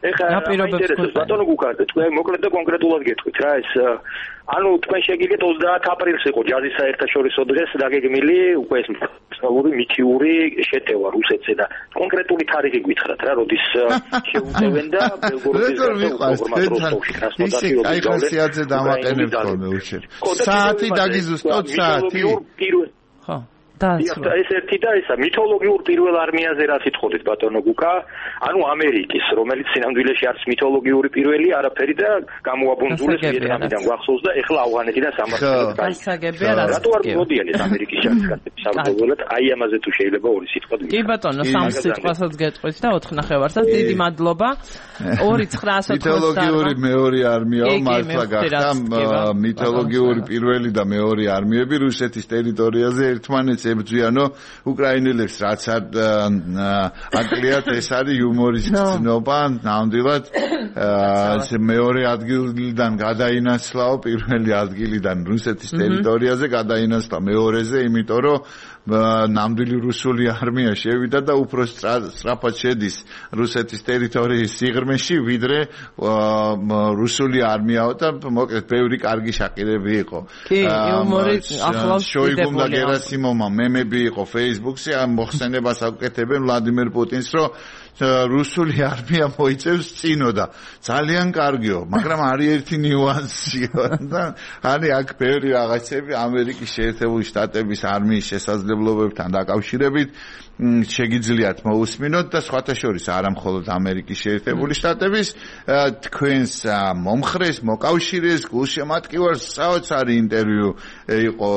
[SPEAKER 4] ეხლა ინტერესებს ბატონო გუკა, თქვენ მოკლედ და კონკრეტულად გეტყვით რა ეს ანუ თქვენ შეგიძლიათ ოცდაათი აპრილს იყო ჯაზის საერთაშორისო დღეს დაგეგმილი უკვე ეს მსწავლური მითიური შეტევა რუსეთზე და კონკრეტული თარიღი გითხრათ რა, როდის შეუწევენ და ბელგოროდის
[SPEAKER 2] როსტოვში კრასნოდარში კაიხოსიაძე დამაყენებთ ხოლმე უშენ. საათი დაგიზუსტოთ საათი.
[SPEAKER 1] ხო.
[SPEAKER 4] და ეს ერთი და ესა მითოლოგიურ პირველ არმიაზე რა სიტყოდით ბატონო გუკა, ანუ ამერიკის, რომელიც სინამდვილეში არის მითოლოგიური პირველი არაფერი და გამოაბუნძულეს ვიეტნამიდან გვახსოვს და ეხლა ავღანეთიდან სამართლებად
[SPEAKER 1] გაიგებია რა.
[SPEAKER 4] რატო არ მოდიან ეს ამერიკის ჯარისკაცები საბრძოლველად? აი ამაზე თუ შეიძლება ორი სიტყვა
[SPEAKER 1] კი ბატონო, სამ სიტყვასაც გეტყვით და ოთხ ნახევარსაც დიდი მადლობა. ორი ცხრაასა
[SPEAKER 2] მითოლოგიური მეორე არმია მართლა გახდა მითოლოგიური პირველი და მეორე არმიები რუსეთის ტერიტორიაზე ერთმანეთს ებრძვიანო უკრაინელებს რაც არ აკლიათ ეს არის იუმორის გზნობა ნამდვილად მეორე ადგილიდან გადაინაცვლაო პირველი ადგილიდან რუსეთის ტერიტორიაზე გადაინაცვლა მეორეზე იმიტომ რომ ნამდვილი რუსული არმია შევიდა და უფრო სწრაფად შედის რუსეთის ტერიტორიის სიღრმეში ვიდრე რუსული არმიაო და მოკლედ ბევრი კარგი შაკირები იყო.
[SPEAKER 1] კი, იუმორი ახლავს
[SPEAKER 2] შოიგუმ და გერასიმოვმა მემები იყო Facebook-ზე ამ მოხსენებას აკეთებენ ვლადიმერ პუტინს რომ რუსული არმია მოიწევს წინო და ძალიან კარგიო, მაგრამ არის ერთი ნიუანსი და არის აქ ბევრი რაღაცები ამერიკის შეერთებული შტატების არმიის შესაძლებლობებთან დაკავშირებით შეგიძლიათ მოусმინოთ და სხვათა შორის არა მხოლოდ ამერიკის შეერთებული შტატების თქვენს მომხრეს, მოკავშირეს, გულშემატკივარს საოცარი ინტერვიუ იყო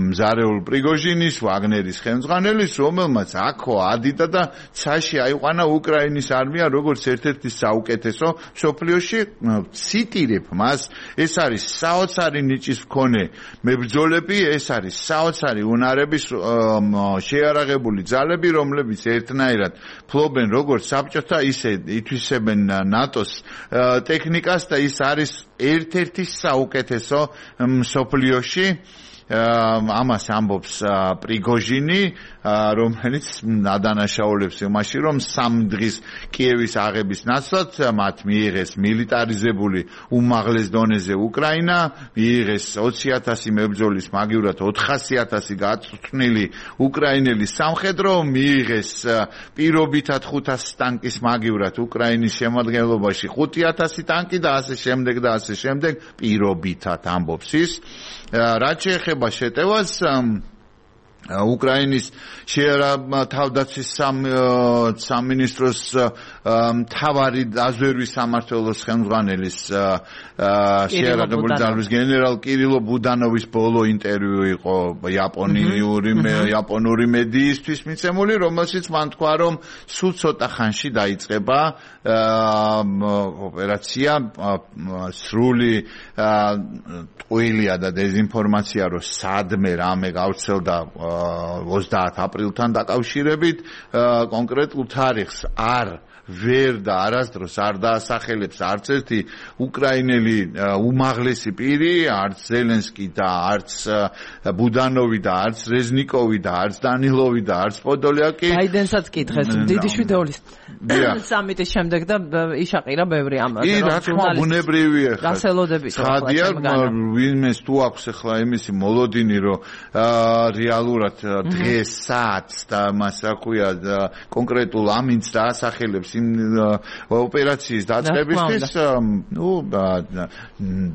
[SPEAKER 2] მზარეულ პრიგოჟინის, ვაგნერის ხელმძღვანელის, რომელმაც აქო ადიდა და ცაში აიყვანა უკრაინის არმია როგორც ერთ-ერთი საუკეთესო მსოფლიოში. ციტირებ მას, ეს არის საოცარი ნიჭის მქონე მებრძოლები, ეს არის საოცარი უნარების შეიარაღებული ძალები, რომლებიც ერთნაირად ფლობენ როგორც საბჭოთა, ისე ითვისებენ ნატოს ტექნიკას და ის არის ერთ-ერთი საუკეთესო მსოფლიოში. ამას ამბობს პრიგოჟინი, რომელიც ადანაშაულებს იმაში, რომ სამ დღის კიევის აღების ნაცვლად მათ მიიღეს მილიტარიზებული უმაღლეს დონეზე უკრაინა, მიიღეს ოცი ათასი მებრძოლის მაგივრად ოთხასი ათასი გაწვრთნილი უკრაინელი სამხედრო, მიიღეს პირობითად ხუთასი ტანკის მაგივრად უკრაინის შემადგენლობაში ხუთი ათასი ტანკი და ასე შემდეგ და ასე შემდეგ პირობითად ამბობს ის. რაც შეეხება შეტევას უკრაინის თავდაცვის სამინისტროს მთავარი დაზვერვის სამმართველოს ხელმძღვანელის შეიარაღებული ძალების გენერალ კირილო ბუდანოვის ბოლო ინტერვიუ იყო იაპონიური იაპონური მედიისთვის მიცემული, რომელშიც მან თქვა, რომ სულ ცოტა ხანში დაიწყება ოპერაცია სრული ტყუილია და დეზინფორმაცია, რომ სადმე რამე გავრცელდა ოცდაათ აპრილთან დაკავშირებით კონკრეტულ თარიღს არ ვერ და არასდროს არ დაასახელებს არც ერთი უკრაინელი უმაღლესი პირი, არც ზელენსკი და არც ბუდანოვი და არც რეზნიკოვი და არც დანილოვი და არც პოდოლიაკი.
[SPEAKER 1] ბაიდენსაც კითხეს დიდი შვიდეულის სამიტის შემდეგ და იშაყირა ბევრი ამაზე.
[SPEAKER 2] კი, რა თქმა უნდა, ბუნებრივია ხა.
[SPEAKER 1] გასელოდებით.
[SPEAKER 2] ხადია ვინმეს თუ აქვს ახლა იმისი მოლოდინი, რომ რეალურად დღეს საათს და მას რა ქვია კონკრეტულ ამინდს დაასახელებს ოპერაციის დაწყებისთვის, ნუ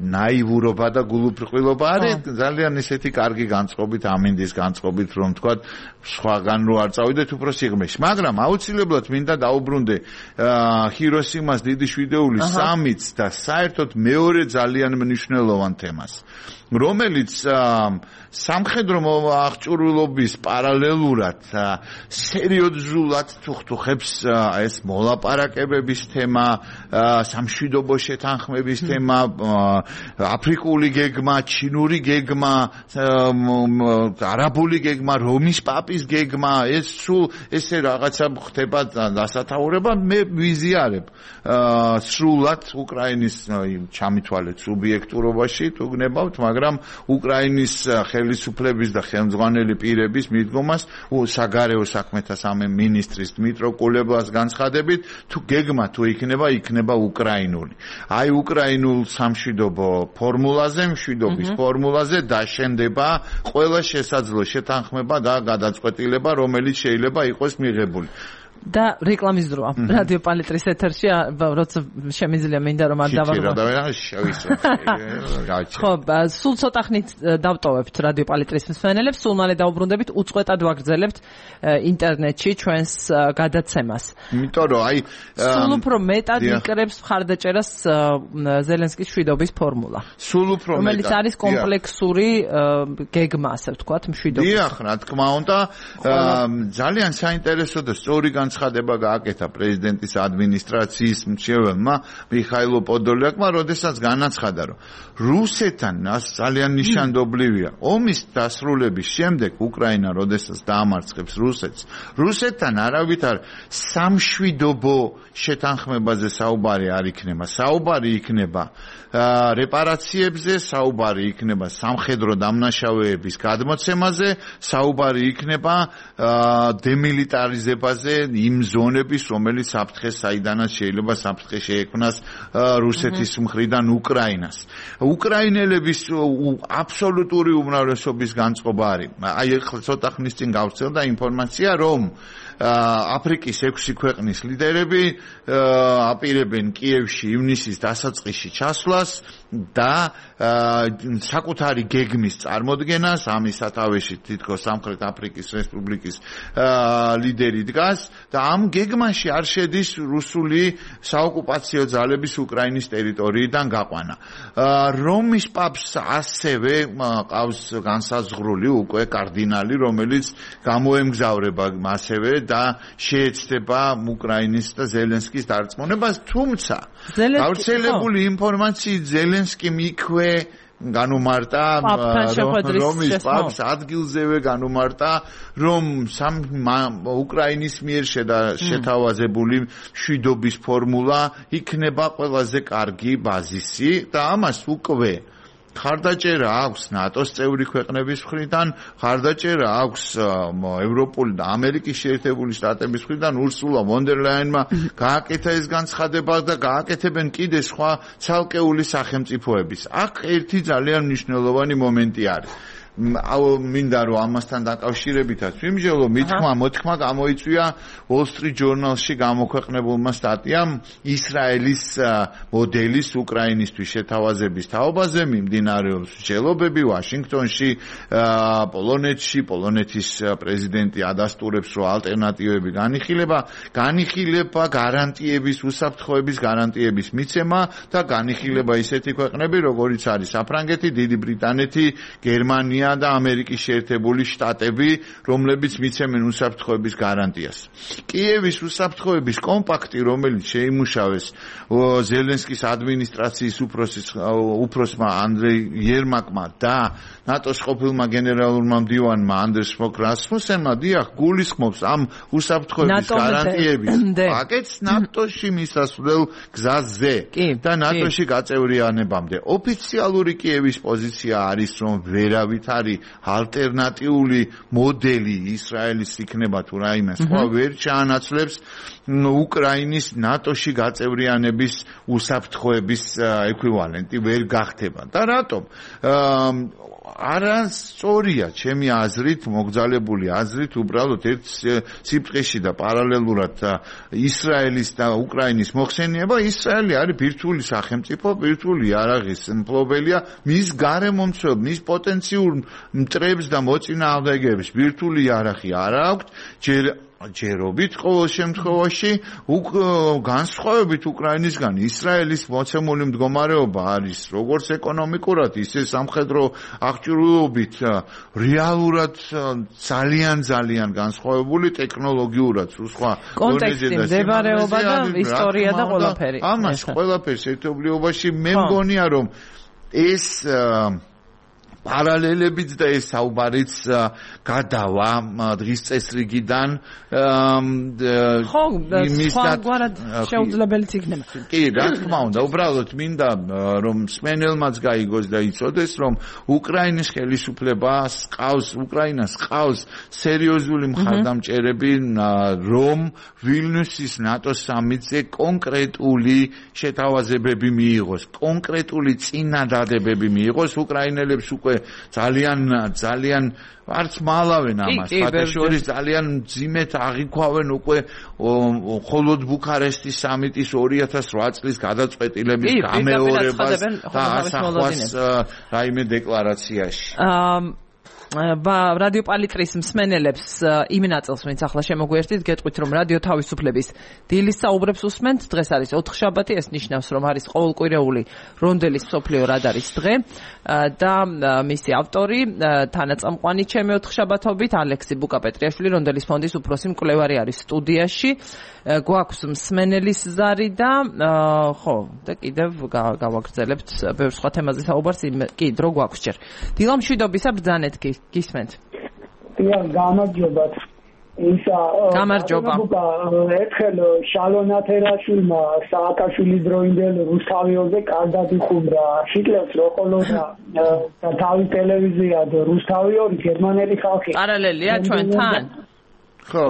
[SPEAKER 2] ნაივურობა და გულუბრყვილობა არის ძალიან ისეთი კარგი განწყობით, ამინდის განწყობით, რომ თქვა სხვაგან რო არ წავიდეთ უფრო სიღრმეში. მაგრამ აუცილებლად მინდა დაუბრუნდე ჰიროსიმას დიდი შვიდეულის სამიტს და საერთოდ მეორე ძალიან მნიშვნელოვან თემას, რომელიც სამხედრო აღჭურვილობის პარალელურად სერიოზულად თუხთუხებს ეს მოლაპარაკებების თემა, სამშვიდობო შეთანხმების თემა, აფრიკული გეგმა, ჩინური გეგმა, არაბული გეგმა, რომის პაპის გეგმა, ეს სულ ესე რაღაცა ხდება დასათაურება. მე ვიზიარებ სრულად უკრაინის ჩამithვალეთ სუბიექტურობაში თუ გნებავთ, მაგრამ უკრაინის ხელისუფლების და ხელმძღვანელი პირების მიდგომას საგარეო საქმეთა სამინისტრის დმიტრო კულებას განცხადებით, თუ გეგმა თუ იქნება, იქნება უკრაინული. აი უკრაინულ სამშვიდობო ფორმულაზე, მშვიდობის ფორმულაზე დაშენდება ყველა შესაძლო შეთანხმება და გადაწყვეტილება, რომელიც შეიძლება იყოს მიღებული.
[SPEAKER 1] და რეკლამის დროა. რადიო პალიტრის ეთერში, როცა შემიძლია მინდა რომ არ დავაღმო. ხო, სულ ცოტა ხნით დავტოვებთ რადიო პალიტრის მსმენელებს, სულ მალე დაუბრუნდებით, უწყვეტად ვაგრძელებთ ინტერნეტში ჩვენს გადაცემას.
[SPEAKER 2] იმიტომ რომ აი
[SPEAKER 1] სულ უფრო მეტად იკრებს მხარდაჭერას ზელენსკის მშვიდობის ფორმულა.
[SPEAKER 2] სულ უფრო მეტად.
[SPEAKER 1] რომელიც არის კომპლექსური გეგმა, ასე ვთქვათ, მშვიდობის.
[SPEAKER 2] დიახ, რა თქმა უნდა, ძალიან საინტერესო და სწორი განცხადება გააკეთა პრეზიდენტის ადმინისტრაციის მრჩეველმა მიხაილო პოდოლიაკმა, როდესაც განაცხადა, რომ რუსეთთან ძალიან ნიშანდობლივია ომის დასრულების შემდეგ უკრაინა როდესაც დაამარცხებს რუსეთს, რუსეთთან არავითარ სამშვიდობო შეთანხმებაზე საუბარი არ იქნება. საუბარი იქნება რეპარაციებზე, საუბარი იქნება სამხედრო დამნაშავეების გადმოცემაზე, საუბარი იქნება დემილიტარიზებაზე იმ ზონების, რომელიც საფრთხეს საიდანაც შეიძლება საფრთხე შეექმნას რუსეთის მხრიდან უკრაინას. უკრაინელების აბსოლუტური უმრავლესობის განწყობა არის. აი ახლა ცოტა ხნის წინ გავვრცელდა ინფორმაცია, რომ აფრიკის ექვსი ქვეყნის ლიდერები აპირებენ კიევში ივნისის დასაწყისში ჩასვლას და საკუთარი გეგმის წარმოდგენას, ამის სათავეში თითქოს სამხრეთ აფრიკის რესპუბლიკის ლიდერი დგას და ამ გეგმაში არ შედის რუსული საოკუპაციო ძალების უკრაინის ტერიტორიიდან გაყვანა. რომის პაპს ასევე ყავს განსაზღვრული უკვე კარდინალი, რომელიც გამოემგზავრება ასევე და შეეცდება უკრაინის და ზელენსკის დარწმუნებას, თუმცა გავრცელებული ინფორმაციით ზელენსკიმ იქვე განუმარტა რომის პაპს ადგილზევე განუმარტა, რომ უკრაინის მიერ შეთავაზებული მშვიდობის ფორმულა იქნება ყველაზე კარგი ბაზისი და ამას უკვე ხარდაჭერა აქვს ნატოს წევრი ქვეყნების მხრიდან, ხარდაჭერა აქვს ევროპული და ამერიკის შეერთებული შტატების მხრიდან, ურსულა ვონ დერ ლაიენმა გააკეთა ეს განცხადება და გააკეთებენ კიდე სხვა ცალკეული სახელმწიფოების. აქ ერთი ძალიან მნიშვნელოვანი მომენტი არის. მინდა რომ ამასთან დაკავშირებითაც ვიმსჯელო, მithმა მოთქმა გამოიწვია Wall Street Journal-ში გამოქვეყნებულმა სტატიამ ისრაელის მოდელის უკრაინისთვის შეთავაზების თაობაზე, მიმდინარეობს მსჯელობები ვაშინგტონში, პოლონეთში, პოლონეთის პრეზიდენტი ადასტურებს, რომ ალტერნატივები განიხილება, განიხილება გარანტიების, უსაფრთხოების გარანტიების მიცემა და განიხილება ისეთი ქვეყნები, როგორიც არის საფრანგეთი, დიდი ბრიტანეთი, გერმანია და ამერიკის შეერთებული შტატები, რომლებიც მიცემენ უსაფრთხოების გარანტიას. კიევის უსაფრთხოების კომპაქტი, რომელიც შეიმუშავეს ზელენსკის ადმინისტრაციის უფროსმა ანდრეი იერმაკმა და ნატოს ყოფილმა გენერალურმა მდივანმა ანდერს ფოკ რასმუსენმა, დიახ, გულისხმობს ამ უსაფრთხოების გარანტიების პაკეტს ნატოში მისასვლელ გზაზე და ნატოში გაწევრიანებამდე. ოფიციალური კიევის პოზიცია არის, რომ ვერავით არის ალტერნატიული მოდელი ისრაელის იქნება თუ რაიმე სხვა ვერ ჩაანაცვლებს უკრაინის ნატოში გაწევრიანების უსაფრთხოების ეკვივალენტი ვერ გახდება. და რატომ? არასწორია ჩემი აზრით, მოგზალებული აზრით, უბრალოდ ერთ სიბრტყეში და პარალელურად ისრაელის და უკრაინის მოხსენება. ისრაელი არის ბირთვული სახელმწიფო, ბირთვული იარაღის მფლობელია, მის გარემომცველ, მის პოტენციურ მტრებს და მოწინააღმდეგეებს ბირთვული იარაღი არ აქვს, ჯერ ჯერობით ყოველ შემთხვევაში განსხვავებით უკრაინისგან ისრაელის მოცემული მდგომარეობა არის როგორც ეკონომიკურად, ისე სამხედრო აღჭურვილობით რეალურად ძალიან ძალიან განსხვავებული, ტექნოლოგიურად სხვა
[SPEAKER 1] კონტექსტი, მდებარეობა და ისტორია და ყველაფერი.
[SPEAKER 2] ამას ყველაფერს ერთობლიობაში მე მგონია, რომ ეს პარალელებიც და ეს საუბარიც გადავა დღის წესრიგიდან
[SPEAKER 1] ხო, სხვაგვარად შეუძლებელიც იქნება.
[SPEAKER 2] კი, რა თქმა უნდა, უბრალოდ მინდა რომ სმენელმაც გაიგოს და იცოდეს, რომ უკრაინის ხელისუფლებას ყავს, უკრაინას ყავს სერიოზული მხარდამჭერები, რომ ვილნიუსის ნატოს სამიტზე კონკრეტული შეთავაზებები მიიღოს, კონკრეტული წინადადებები მიიღოს უკრაინელებს უკვე ძალიან ძალიან არც მალავენ ამას, ფაქტობრივად ძალიან ძიმეთ აღიქვავენ უკვე მხოლოდ ბუქარესტის სამიტის ორი ათას რვა წლის გადაწყვეტილების გამეორებას და ასახვას რაიმე დეკლარაციაში.
[SPEAKER 1] რადიო პალიტრის მსმენელებს იმ ნაწილს, ვინც ახლა შემოგვიერთით, გეტყვით, რომ რადიო თავისუფლების დილის საუბრებს უსმენთ. დღეს არის ოთხშაბათი, ეს ნიშნავს, რომ არის ყოველკვირეული რონდელის მსოფლიო რადარის დღე და მისი ავტორი, თანაწამყვანი ჩემი ოთხშაბათობით, ალექსი ბუკა-პეტრიაშვილი, რონდელის ფონდის უფროსი მკვლევარი არის სტუდიაში. გვაქვს მსმენელის ზარი და ხო, და კიდევ გავაგრძელებთ ბევრ სხვა თემაზე საუბარს. კი, დრო გვაქვს ჯერ. დილა მშვიდობისა, ბრძანეთ გისმენთ.
[SPEAKER 5] დიახ, გამარჯობათ. ისა
[SPEAKER 1] გამარჯობა.
[SPEAKER 5] ერთხელ შალონ ათერაშვილმა სააკაშვილის დროინდელ რუსთავიოზე კარგად იხუმრა. შიკლებს რო ხოლოდა და თავი ტელევიზია და რუსთავიორი გერმანელი ხალხი.
[SPEAKER 1] პარალელია ჩვენთან?
[SPEAKER 2] ხო.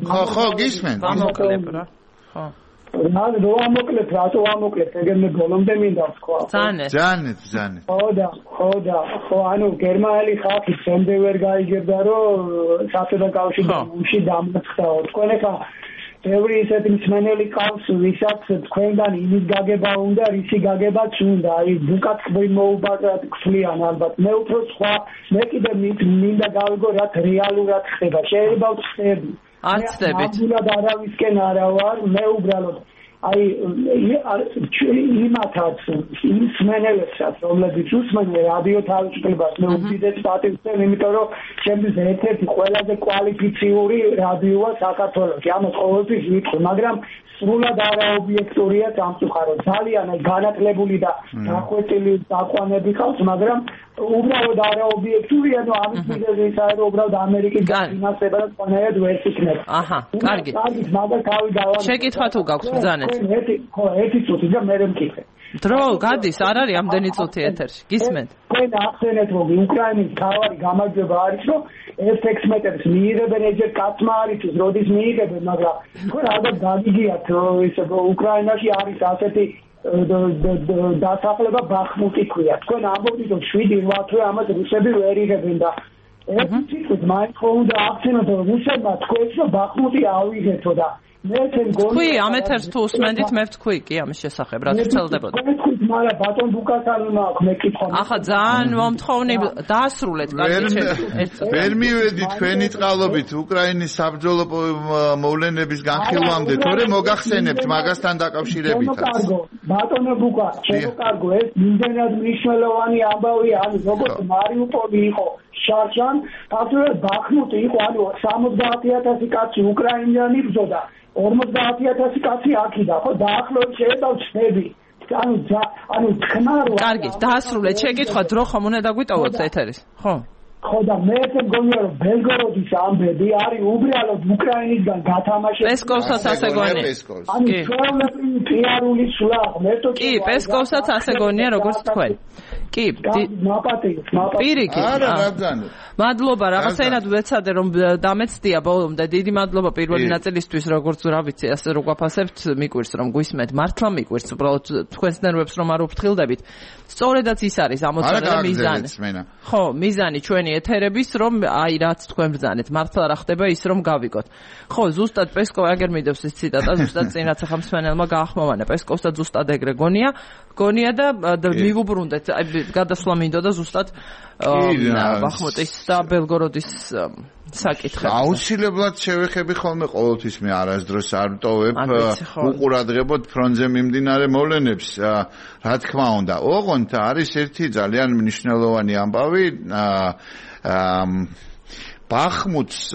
[SPEAKER 2] ხო, ხო, გისმენთ.
[SPEAKER 1] გამოკლებ რა. ხო.
[SPEAKER 5] რა რო ამოკლებ, რატო ამოკლებ, ეგრე ბოლომდე მინდა ვთქვა.
[SPEAKER 1] ძანეთ.
[SPEAKER 2] ძანეთ, ძანეთ.
[SPEAKER 5] ხო და, ხო და, ხო, ანუ გერმანელი ხალხი შემდეგ ვერ გაიგებდა, რომ საბჭოთა კავშირში დამარცხდაო. თქვენ ახლა ბევრი ისეთი მსმენელი ყავს, ვისაც თქვენგან იმის გაგება უნდა, რისი გაგებაც უნდა. აი, ბუკაც მოუბადათ გწლიან ალბათ. მე უფრო სხვა, მე კიდე მინდა გავიგო, რაც რეალურად ხდება. შეიძლება ვწდები.
[SPEAKER 1] არ ცდებით.
[SPEAKER 5] ნამდვილად არავისკენ არა ვარ, მე უბრალოდ აი იმათაც იმ მსმენელებსაც, რომლებიც უსმენენ რადიო თავისუფლებას, მე უდიდეს პატივს ვცემ, იმიტომ რომ ჩემთვის ერთ-ერთი ყველაზე კვალიფიციური რადიოა საქართველოში. ამას ყოველთვის ვიტყვი, მაგრამ სრულად არაობიექტურია სამწუხაროდ. ძალიან განათლებული და დახვეწილი დაყვანები ყავს, მაგრამ უბრალოდ არაობიექტურია, ნუ ამის მიზეზია, რომ უბრალოდ ამერიკის ფინანსება და ყველანაირად ვერ იქნება.
[SPEAKER 1] აჰა, კარგი.
[SPEAKER 5] კარგი, მაგრამ თავი დავარ.
[SPEAKER 1] შეკითხვა თუ გაქვს ბრძანეთ.
[SPEAKER 5] ხო, ერთი წუთი და მე მეკითხე.
[SPEAKER 1] დრო გადის, არ არის ამდენი წუთი ეთერში. გისმენთ.
[SPEAKER 5] თქვენ ახსენეთ, რომ უკრაინის თავი გამარჯვება არის, რომ ეს ექვსმეტებს მიიღებენ, ეჯერ კაცმა არის, როდის მიიღებენ, მაგრამ თქვენ ალბათ გაგიგიათ, რომ ის უკრაინაში არის ასეთი დასახლება ბახმუტი ქვია. თქვენ ამბობთ, რომ შვიდი რვა თვე ამას რუსები ვერ იღებენ და ერთი წუთით მაინც ხო უნდა ახსენოთ, რომ რუსებმა თქვენს რომ ბახმუტი ავიღეთო და
[SPEAKER 1] თქვი ამ ეთერს თუ უსმენდით, მე ვთქვი კი ამის შესახებ, რა თვლდებოდა.
[SPEAKER 5] მაგრამ ბატონ ბუკასთან მაქვს მეკითხვა.
[SPEAKER 1] ახლა ძალიან მომთხოვნი დაასრულეთ კარგი
[SPEAKER 2] ჩემს. ვერ მივედი თქვენი წყალობით უკრაინის საბრძოლო მოვლენების განხილვამდე, თორე მოგახსენებთ მაგასთან დაკავშირებითაც.
[SPEAKER 5] ბატონო ბუკა, შემოკარგო, ეს იმდენად მნიშვნელოვანი ამბავია, ანუ როგორც მარიუპოლი იყო შარშან, ფაქტობრივად ბახმუტი იყო, ანუ სამოცდაათი ათასი კაცი უკრაინიანი ბრძოდა. ორმოცდაათი ათასი კაცი აქიდა, ხო, დაახლოებით შეიძლება ვწდები. ანუ ანუ თქმა რო
[SPEAKER 1] კარგი, დაასრულეთ შეკითხვა, დრო ხომ უნდა დაგვიტოვოთ ეთერის, ხო?
[SPEAKER 5] ხო და მე ესე მგონია რომ ბელგოროდის ამბები არის უბრალოდ უკრაინისგან გათამაშებული.
[SPEAKER 1] პესკოვსაც ასე გონია.
[SPEAKER 5] ანუ ჩვეულებრივი პიარული სვლა, მე თვითონ
[SPEAKER 1] კი, პესკოვსაც ასე გონია როგორც თქვენ. კი,
[SPEAKER 5] მაპატიო, მაპატიო.
[SPEAKER 1] პირიქით.
[SPEAKER 2] არა, რა ძანე.
[SPEAKER 1] მადლობა, რაღაცაინად ვეცადე რომ დამეცდია ბოლომდე. დიდი მადლობა პირველი ნაწილისთვის, როგორც რა ვიცი, ასე რო გვაფასებთ, მიკვირს რომ გვისმენთ, მართლა მიკვირს, უბრალოდ თქვენს ნერვებს რომ არ უფრთხილდებით. სწორედაც ის არის ამოცანა და მიზანი. ხო, მიზანი ჩვენი ეთერების, რომ აი რაც თქვენ ბრძანეთ, მართლა რა ხდება ის რომ გავიგოთ. ხო, ზუსტად პესკოვი აგერ მიდევს ეს ციტატა, ზუსტად წინ რაც ახლა მსმენელმა გაახმოვანა, პესკოვსაც ზუსტად ეგრე გონია, გონია და მივუბრუნდეთ, აი გადასვლა მინდოდა ზუსტად ბახმუტის და ბელგოროდის საკითხი.
[SPEAKER 2] აუცილებლად შევეხები ხოლმე ყოველთვის მე არასდროს არ ვტოვებ უყურადღებოდ ფრონტზე მიმდინარე მოვლენებს, რა თქმა უნდა. ოღონდ არის ერთი ძალიან მნიშვნელოვანი ამბავი, ბახმუტს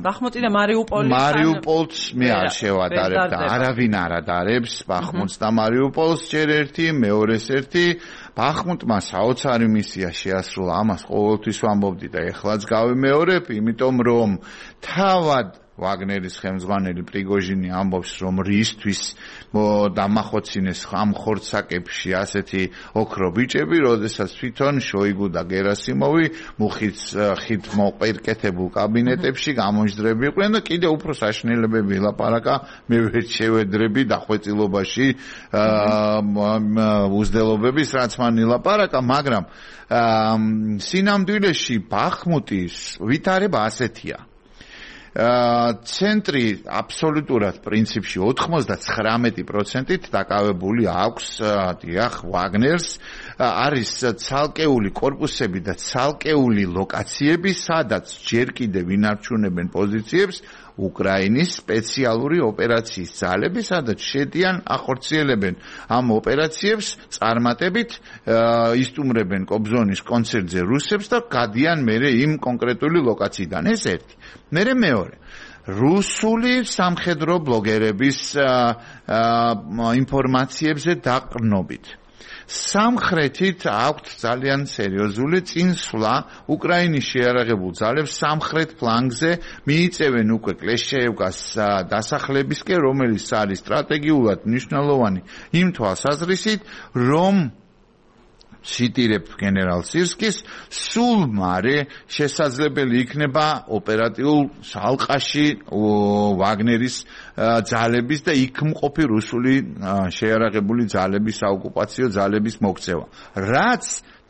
[SPEAKER 1] ბახმუტი და მარიუპოლი
[SPEAKER 2] მარიუპოლს მე არ შევადარებ და არავინ არ ადარებს ბახმუტს და მარიუპოლს ჯერ ერთი, მეორეს ერთი. ბახმუტმა საოცარი მისია შეასრულა, ამას ყოველთვის ვამბობდი და ეხლაც გავიმეორებ, იმიტომ რომ თავად ვაგნერის ხელმძღვანელი პრიგოჟინი ამბობს, რომ რისთვის დამახოცინეს ამ ხორცაკებში ასეთი ოქრო ბიჭები, როდესაც თვითონ შოიგუ და გერასიმოვი მუხის ხით მოყერკეთებულ კაბინეტებში გამოჯდრები იყვნენ და კიდევ უფრო საშინელებები ელაპარაკა, მე ვერ შევედრები დახვეწილობაში უზდელობების, რაც მან ელაპარაკა, მაგრამ სინამდვილეში ბახმუტის ვითარება ასეთია. ცენტრი აბსოლუტურად პრინციპში ოცდათხმეტ პროცენტით დაკავებული აქვს დიახ ვაგნერს არის ცალკეული კორპუსები და ცალკეული ლოკაციები სადაც ჯერ კიდევ ინარჩუნებენ პოზიციებს უკრაინის სპეციალური ოპერაციის ძალები, სადაც შედიან ახორციელებენ ამ ოპერაციებს წარმატებით, ისტუმრებენ კობზონის კონცერტზე რუსებს და გადიან მერე იმ კონკრეტული ლოკაციიდან. ეს ერთი. მერე მეორე. რუსული სამხედრო ბლოგერების ინფორმაციებზე დაყრდნობით. სამხრეთით აქვთ ძალიან სერიოზული წინსვლა უკრაინის შეიარაღებულ ძალებს სამხრეთ ფლანგზე მიიწევენ უკვე კლეშჩეევკას დასახლებისკენ, რომელიც არის სტრატეგიულად მნიშვნელოვანი იმ თვალსაზრისით, რომ ციტირებ გენერალ სირსკის, სულ მარე შესაძლებელი იქნება ოპერატიულ ალყაში ვაგნერის ძალების და იქ მყოფი რუსული შეიარაღებული ძალების საოკუპაციო ძალების მოქცევა. რაც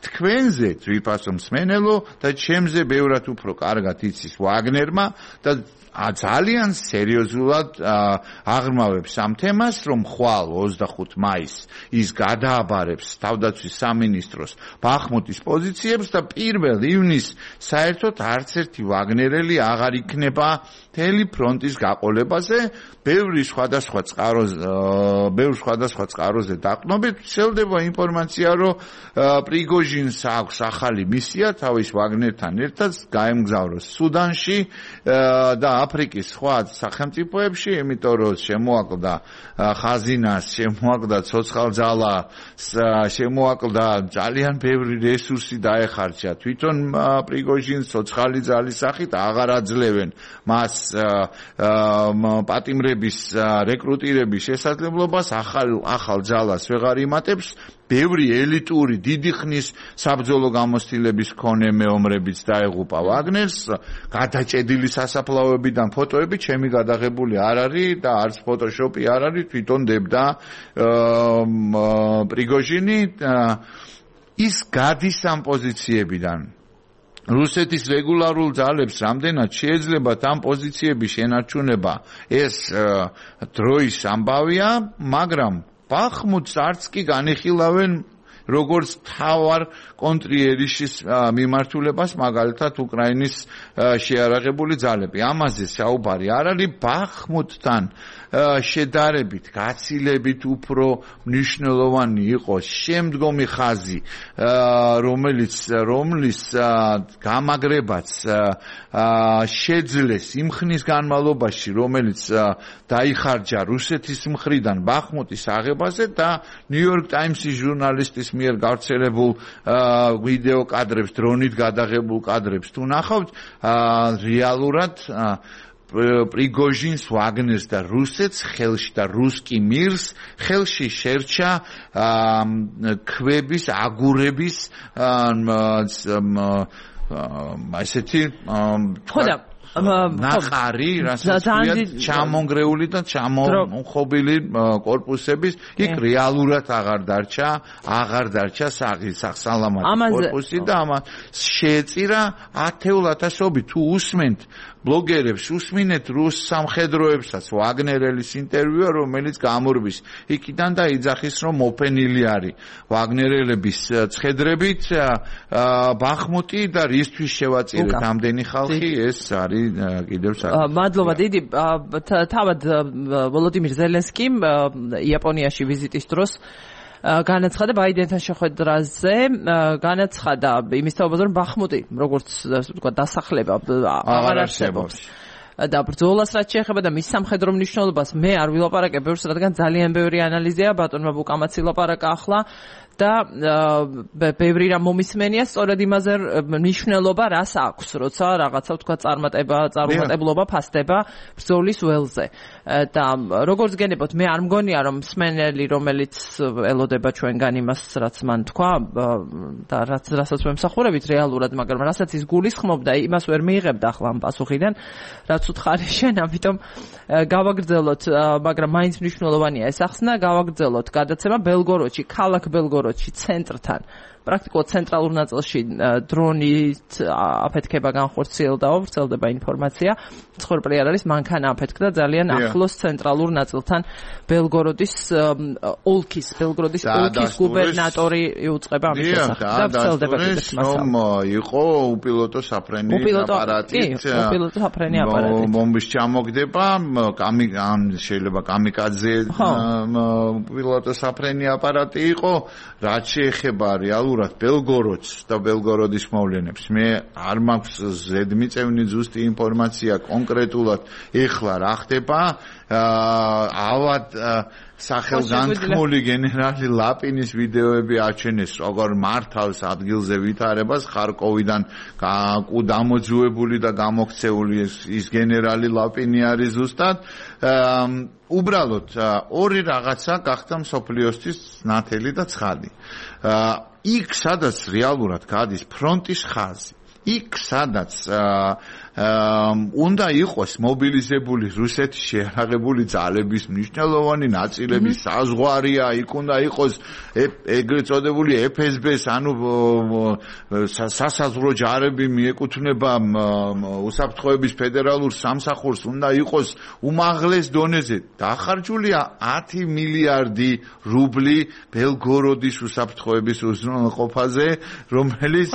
[SPEAKER 2] თქვენზე ვიფასო მსმენელო და ჩემზე ბევრად უფრო კარგად იცის ვაგნერმა და ძალიან სერიოზულად აღრმავებს ამ თემას, რომ ხვალ ოცდახუთ მაისს ის გადააბარებს თავდაცვის სამინისტროს ბახმუტის პოზიციებს და პირველ ივნისს საერთოდ არც ერთი ვაგნერელი აღარ იქნება მთელი ფრონტის გაყოლებაზე, ბევრი სხვადასხვა წყაროზე, ბევრ სხვადასხვა წყაროზე დაყრდნობით ვრცელდება ინფორმაცია, რომ პრიგოჟინს აქვს ახალი მისია თავის ვაგნერთან ერთად გაემგზავროს სუდანში და აფრიკის სხვა სახელმწიფოებში, იმიტომ რომ შემოაკლდა ხაზინას, შემოაკლდა ცოცხალძალას, შემოაკლდა ძალიან ბევრი რესურსი დაეხარჯა თვითონ პრიგოჟინს ცოცხალი ძალის სახით აღარ აძლევენ მას პატიმრების რეკრუტირების შესაძლებლობას, ახალ ახალ ძალას ვეღარ იმატებს. ბევრი ელიტური დიდი ხნის საბრძოლო გამოცდილების მქონე მეომრებიც დაეღუპა ვაგნერს, გადაჭედილი სასაფლაოებიდან ფოტოები ჩემი გადაღებული არ არის და არც ფოტოშოპი არ არის, თვითონ დებდა პრიგოჟინი ის გადის ამ პოზიციებიდან. რუსეთის რეგულარულ ძალებს რამდენად შეეძლებათ ამ პოზიციების შენარჩუნება, ეს დროის ამბავია, მაგრამ ბახმუტს არც კი განიხილავენ როგორც თავარ კონტრიერიშის მიმართულებას, მაგალითად უკრაინის შეიარაღებული ძალები. ამაზე საუბარი არ არის, ბახმუტთან შედარებით, გაცილებით უფრო მნიშვნელოვანი იყო შემდგომი ხაზი, რომელიც რომლის გამაგრებაც შეძლეს იმ ხნის განმავლობაში, რომელიც დაიხარჯა რუსეთის მხრიდან ბახმუტის აღებაზე და ნიუ-იორკ ტაიმსის ჟურნალისტის მიერ გავრცელებულ ვიდეო კადრებს, დრონით გადაღებულ კადრებს თუ ნახავთ, რეალურად პრიგოჟინს, ვაგნერს და რუსეთს ხელში და რუსკი მირს ხელში შერჩა ქვების, აგურების ასეთი
[SPEAKER 1] ხოდა
[SPEAKER 2] ნახარი, რასაც ქვია, ჩამონგრეული და ჩამომხობილი კორპუსების, იქ რეალურად აღარ დარჩა, აღარ დარჩა სახსალამათო კორპუსი და ამას შეეწირა ათეულ ათასობით. თუ უსმენთ ბლოგერებს, უსმინეთ რუს სამხედროებსაც ვაგნერელის ინტერვიუა, რომელიც გამორბის იქიდან და იძახის, რომ მოფენილი არის ვაგნერელების ცხედრებით ბახმუტი და რისთვის შევაწირეთ ამდენი ხალხი, ეს არის კიდევ საკითხი.
[SPEAKER 1] მადლობა დიდი. თავად ვოლოდიმირ ზელენსკიმ იაპონიაში ვიზიტის დროს განაცხადა ბაიდენთან შეხვედრაზე, განაცხადა იმის თაობაზე, რომ ბახმუტი, როგორც ვთქვა, დასახლება აღარ არსებობს. და ბრძოლას რაც შეეხება და მის სამხედრო მნიშვნელობას მე არ ვილაპარაკებ ბევრს, რადგან ძალიან ბევრი ანალიზია ბატონმა ბუკამაცი ლაპარაკა ახლა და ბევრი რამ მომისმენია სწორედ იმაზე მნიშვნელობა რას აქვს, როცა რაღაცა ვთქვა წარმატება, წარმატებლობა ფასდება ბრძოლის ველზე. და როგორც გენებოთ, მე არ მგონია რომ მსმენელი, რომელიც ელოდება ჩვენგან იმას, რაც მან თქვა და რაც რასაც ვემსახურებით რეალურად, მაგრამ რასაც ის გულისხმობდა, იმას ვერ მიიღებდა ახლა ამ პასუხიდან, რაც უთხარი შენ, ამიტომ გავაგრძელოთ, მაგრამ მაინც მნიშვნელოვანია ეს ახსნა, გავაგრძელოთ გადაცემა ბელგოროდში, ქალაქ ბელგოროდში, ცენტრთან. პრაქტიკულად ცენტრალურ ნაწილში დრონით აფეთქება განხორციელდა, ვრცელდება ინფორმაცია. ცხოვრებრივი არ არის, მანქანა აფეთქდა ძალიან ახლოს ცენტრალურ ნაწილთან. ბელგოროდის ოლქის, ბელგოროდის ოლქის გუბერნატორი იუწყება ამის შესახებ და ვრცელდება კიდეც მასალა.
[SPEAKER 2] რომ იყო უპილოტო საფრენი აპარატით,
[SPEAKER 1] უპილოტო საფრენი აპარატით.
[SPEAKER 2] ბომბის ჩამოგდება, კამი ან შეიძლება კამიკაძე უპილოტო საფრენი აპარატი იყო, რაც შეეხება რეალურად ბელგოროდს და ბელგოროდის მოვლენებს. მე არ მაქვს ზედმიწევნი ზუსტი ინფორმაცია კონკრეტულად ეხლა რა ხდება. ავად სახელგანთქმული გენერალი ლაპინის ვიდეოები აჩვენეს, როგორ მართავს ადგილზე ვითარებას ხარკოვიდან დამოძუებული და გამოქცეული ის გენერალი ლაპინი არის ზუსტად. უბრალოდ ორი რაღაცა გახდა მსოფლიოსთვის ნათელი და ცხადი. იქ სადაც რეალურად გადის ფრონტის ხაზი, იქ სადაც უნდა იყოს მობილიზებული რუსეთის შეიარაღებული ძალების მნიშვნელოვანი ნაწილების საზღვარია, იქ უნდა იყოს ეგრეთ წოდებული ეფ ეს ბეს, ანუ სასაზღვრო ჯარები მიეკუთვნება უსაფრთხოების ფედერალურ სამსახურს, უნდა იყოს უმაღლეს დონეზე. დახარჯულია ათი მილიარდი რუბლი ბელგოროდის უსაფრთხოების უზრუნველყოფაზე, რომელიც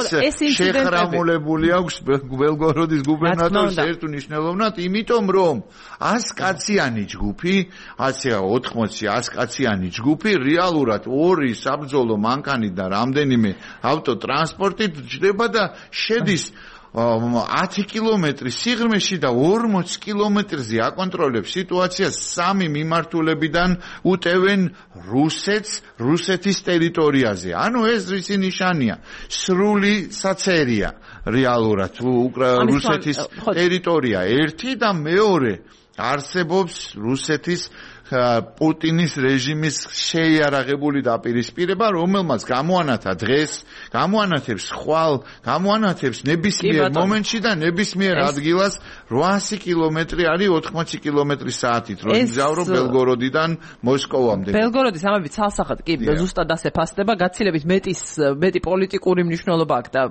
[SPEAKER 2] შეხრამულებული აქვს ბელგოროდის გუბერნატორს ერთ უნიშნელოვნად, იმიტომ რომ ასკაციანი ჯგუფი, ასე ოთხმოცი ასკაციანი ჯგუფი რეალურად ორი საბრძოლო მანქანით და რამდენიმე ავტოტრანსპორტით ჯდება და შედის ათი კილომეტრის სიღრმეში და ორმოცი კილომეტრზე აკონტროლებს სიტუაციას. სამი მიმართულებიდან უტევენ რუსეთს რუსეთის ტერიტორიაზე. ანუ ეს ისი ნიშანია? სრული საცერია რეალურად რუსეთის ტერიტორია ერთი და მეორე არსებობს რუსეთის პუტინის რეჟიმის შეიარაღებული დაპირისპირება, რომელმაც გამოანათა დღეს, გამოანათებს ხვალ, გამოანათებს ნებისმიერ მომენტში და ნებისმიერ ადგილას რვაასი კილომეტრი არის ოთხმოცი კილომეტრი საათით, რომ იგზავრო ბელგოროდიდან მოსკოვამდე.
[SPEAKER 1] ბელგოროდის ამები ცალსახად კი ზუსტად ასე ფასდება, გაცილებით მეტის მეტი პოლიტიკური მნიშვნელობა აქვს და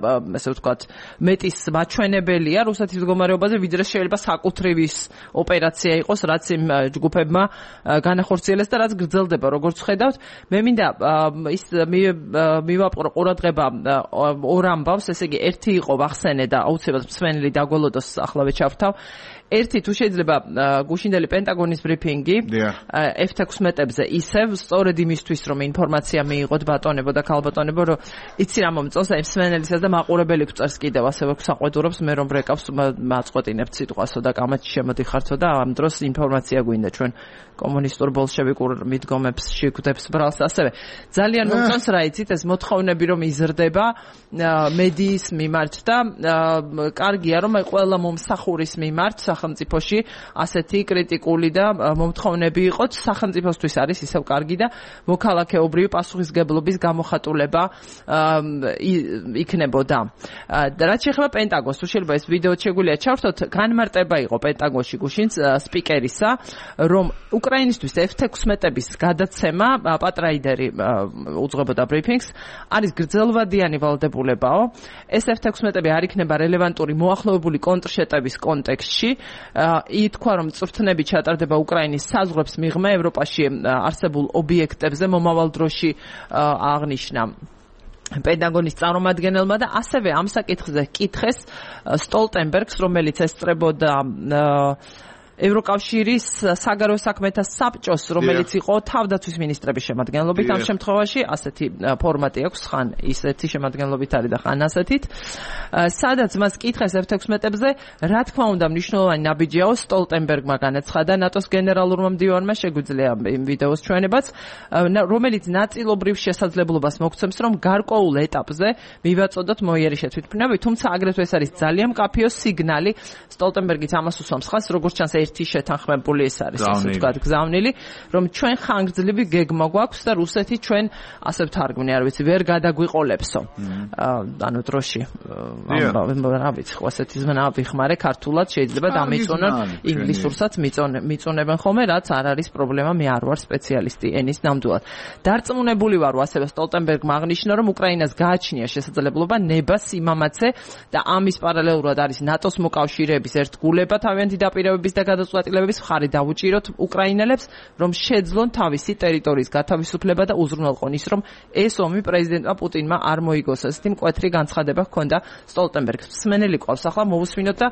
[SPEAKER 1] ასე ვთქვათ, მეტის მაჩვენებელია რუსეთის მდგომარეობაზე, ვიდრე შეიძლება საკუთრივის ოპერაცია იყოს, რაც იმ ჯგუფებმა განახორციელეს და რაც გრძელდება, როგორც ხედავთ. მე მინდა ის მივაპყრო ყურადღება ორ ამბავს, ესე იგი ერთი იყო ვახსენე და აუცილებლად მსმენელი დაგველოდოს ახლა ვეჩავთავ. ერთი თუ შეიძლება გუშინდელი პენტაგონის ბრიფინგი ეფ თექვსმეტებზე ისევ სწორედ იმისთვის რომ ინფორმაცია მიიღოთ ბატონებო და ქალბატონებო, რომ იცი რა მომწონს აი მსმენელისაც და მაყურებელი გვწერს კიდევ ასევე გვსაყვედურობს, მე რომ ბრეკავს მაწყვეტინებთ სიტყვასო და კამათში შემოდიხარცო და ამ დროს ინფორმაცია გვინდა ჩვენ კომუნისტურ ბოლშევიკურ მიდგომებს შეგვდებს ბრალს. ასევე ძალიან მომწონს რა იცით ეს მოთხოვნები რომ იზრდება მედიის მიმართ და კარგია რომ აი ყველა მომსახურის მიმართ სახელმწიფოში ასეთი კრიტიკული და მომთხოვნები იყოთ. სახელმწიფოსთვის არის ისევ კარგი და მოქალაქეობრივი პასუხისგებლობის გამოხატულება იქნებოდა. რაც შეეხება პენტაგონს, თუ შეიძლება ეს ვიდეო შეგვიძლია ჩავრთოთ, განმარტება იყო პენტაგონში გუშინ სპიკერისა, რომ უკრაინისთვის ეფ თექვსმეტების გადაცემა, პატრაიდერი უძღვებოდა ბრიფინგს, არის გრძელვადიანი ვალდებულებაო. ეს ეფ თექვსმეტები არ იქნება რელევანტური მოახლოებული კონტრშეტევის კონტექსტში. ითქვა, რომ წვრთნები ჩატარდება უკრაინის საზღვრებს მიღმა ევროპაში არსებულ ობიექტებზე მომავალ დროში აღნიშნა პენტაგონის წარმომადგენელმა და ასევე ამ საკითხზე კითხეს სტოლტენბერგს, რომელიც ესწრებოდა ევროკავშირის საგარეო საქმეთა საბჭოს, რომელიც იყო თავდაცვის მინისტრების შემადგენლობით, ამ შემთხვევაში ასეთი ფორმატი აქვს, ხან ისეთი შემადგენლობით არის და ხან ასეთით. სადაც მას კითხეს ეფ თექვსმეტებზე, რა თქმა უნდა მნიშვნელოვანი ნაბიჯიაო, სტოლტენბერგმა განაცხადა ნატოს გენერალურმა მდივანმა, შეგვიძლია იმ ვიდეოს ჩვენებაც, რომელიც ნაწილობრივ შესაძლებლობას მოგცემს, რომ გარკვეულ ეტაპზე მივაწოდოთ მოიერი შეთვითმფრინავი, თუმცა აგრეთვე ეს არის ძალიან მკაფიო სიგნალი. სტოლტენბერგიც ამას უსვამს ხაზს, როგორც ჩანს ერთი შეთანხმებული ეს არის ასე ვთქვათ გზავნილი რომ ჩვენ ხანგრძლივი გეგმა გვაქვს და რუსეთი ჩვენ ასე ვთარგმნი არ ვიცი ვერ გადაგვიყოლებსო ანუ დროში რა ვიცი ხო ასეთი ზმნა ვიხმარე ქართულად შეიძლება დამეწონონ ინგლისურსაც მიწონებენ ხოლმე რაც არ არის პრობლემა მე არ ვარ სპეციალისტი ენის ნამდვილად დარწმუნებული ვარ ასევე სტოლტენბერგმა აღნიშნა რომ უკრაინას გააჩნია შესაძლებლობა ნება სიმამაცე და ამის პარალელურად არის ნატოს მოკავშირეების ერთგულება თავიანთი დაპირებების და გადაწყვეტილებების მხარი დაუჭიროთ უკრაინელებს რომ შეძლონ თავისი ტერიტორიის გათავისუფლება და უზრუნველყონ ის რომ ეს ომი პრეზიდენტმა პუტინმა არ მოიგოს ასეთი მკვეთრი განცხადება ჰქონდა სტოლტენბერგს მსმენელი ყავს ახლა მოვუსმინოთ და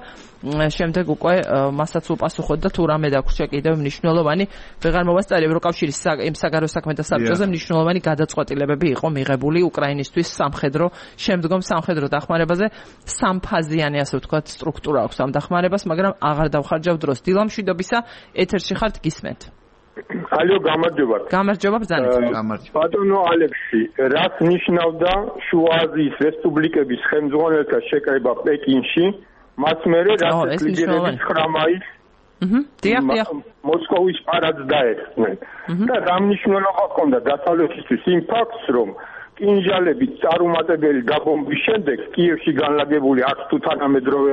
[SPEAKER 1] შემდეგ უკვე მასაც უპასუხოთ და თუ რამე დაგვრჩა კიდევ მნიშვნელოვანი ვეღარ მოვასწარი ევროკავშირის იმ საგარეო საქმეთა საბჭოზე მნიშვნელოვანი გადაწყვეტილებები იყო მიღებული უკრაინისთვის სამხედრო შემდგომ სამხედრო დახმარებაზე სამფაზიანი ასე ვთქვათ სტრუქტურა აქვს ამ დახმარებას მაგრამ აღარ დავხარჯავ დროს დილამშვიდობისა ეთერში ხართ გისმენთ
[SPEAKER 6] ალო გამარჯობა
[SPEAKER 1] გამარჯობა ბრძანეთ
[SPEAKER 6] ბატონო ალექსი რაც ნიშნავდა შუა აზიის რესპუბლიკების ხელმძღვანელთა შეკრება პეკინში მას მერე რაც ლიდერების ხრამაის
[SPEAKER 1] დიახ დიახ
[SPEAKER 6] მოსკოვის პარადს დაეხსნენ და ამ მნიშვნელობა ჰქონდა დასავლეთისთვის იმ ფაქტს რომ კინჟალები წარუმატებელი დაბომბვის შემდეგ კიევში განლაგებული აქ თუ თანამედროვე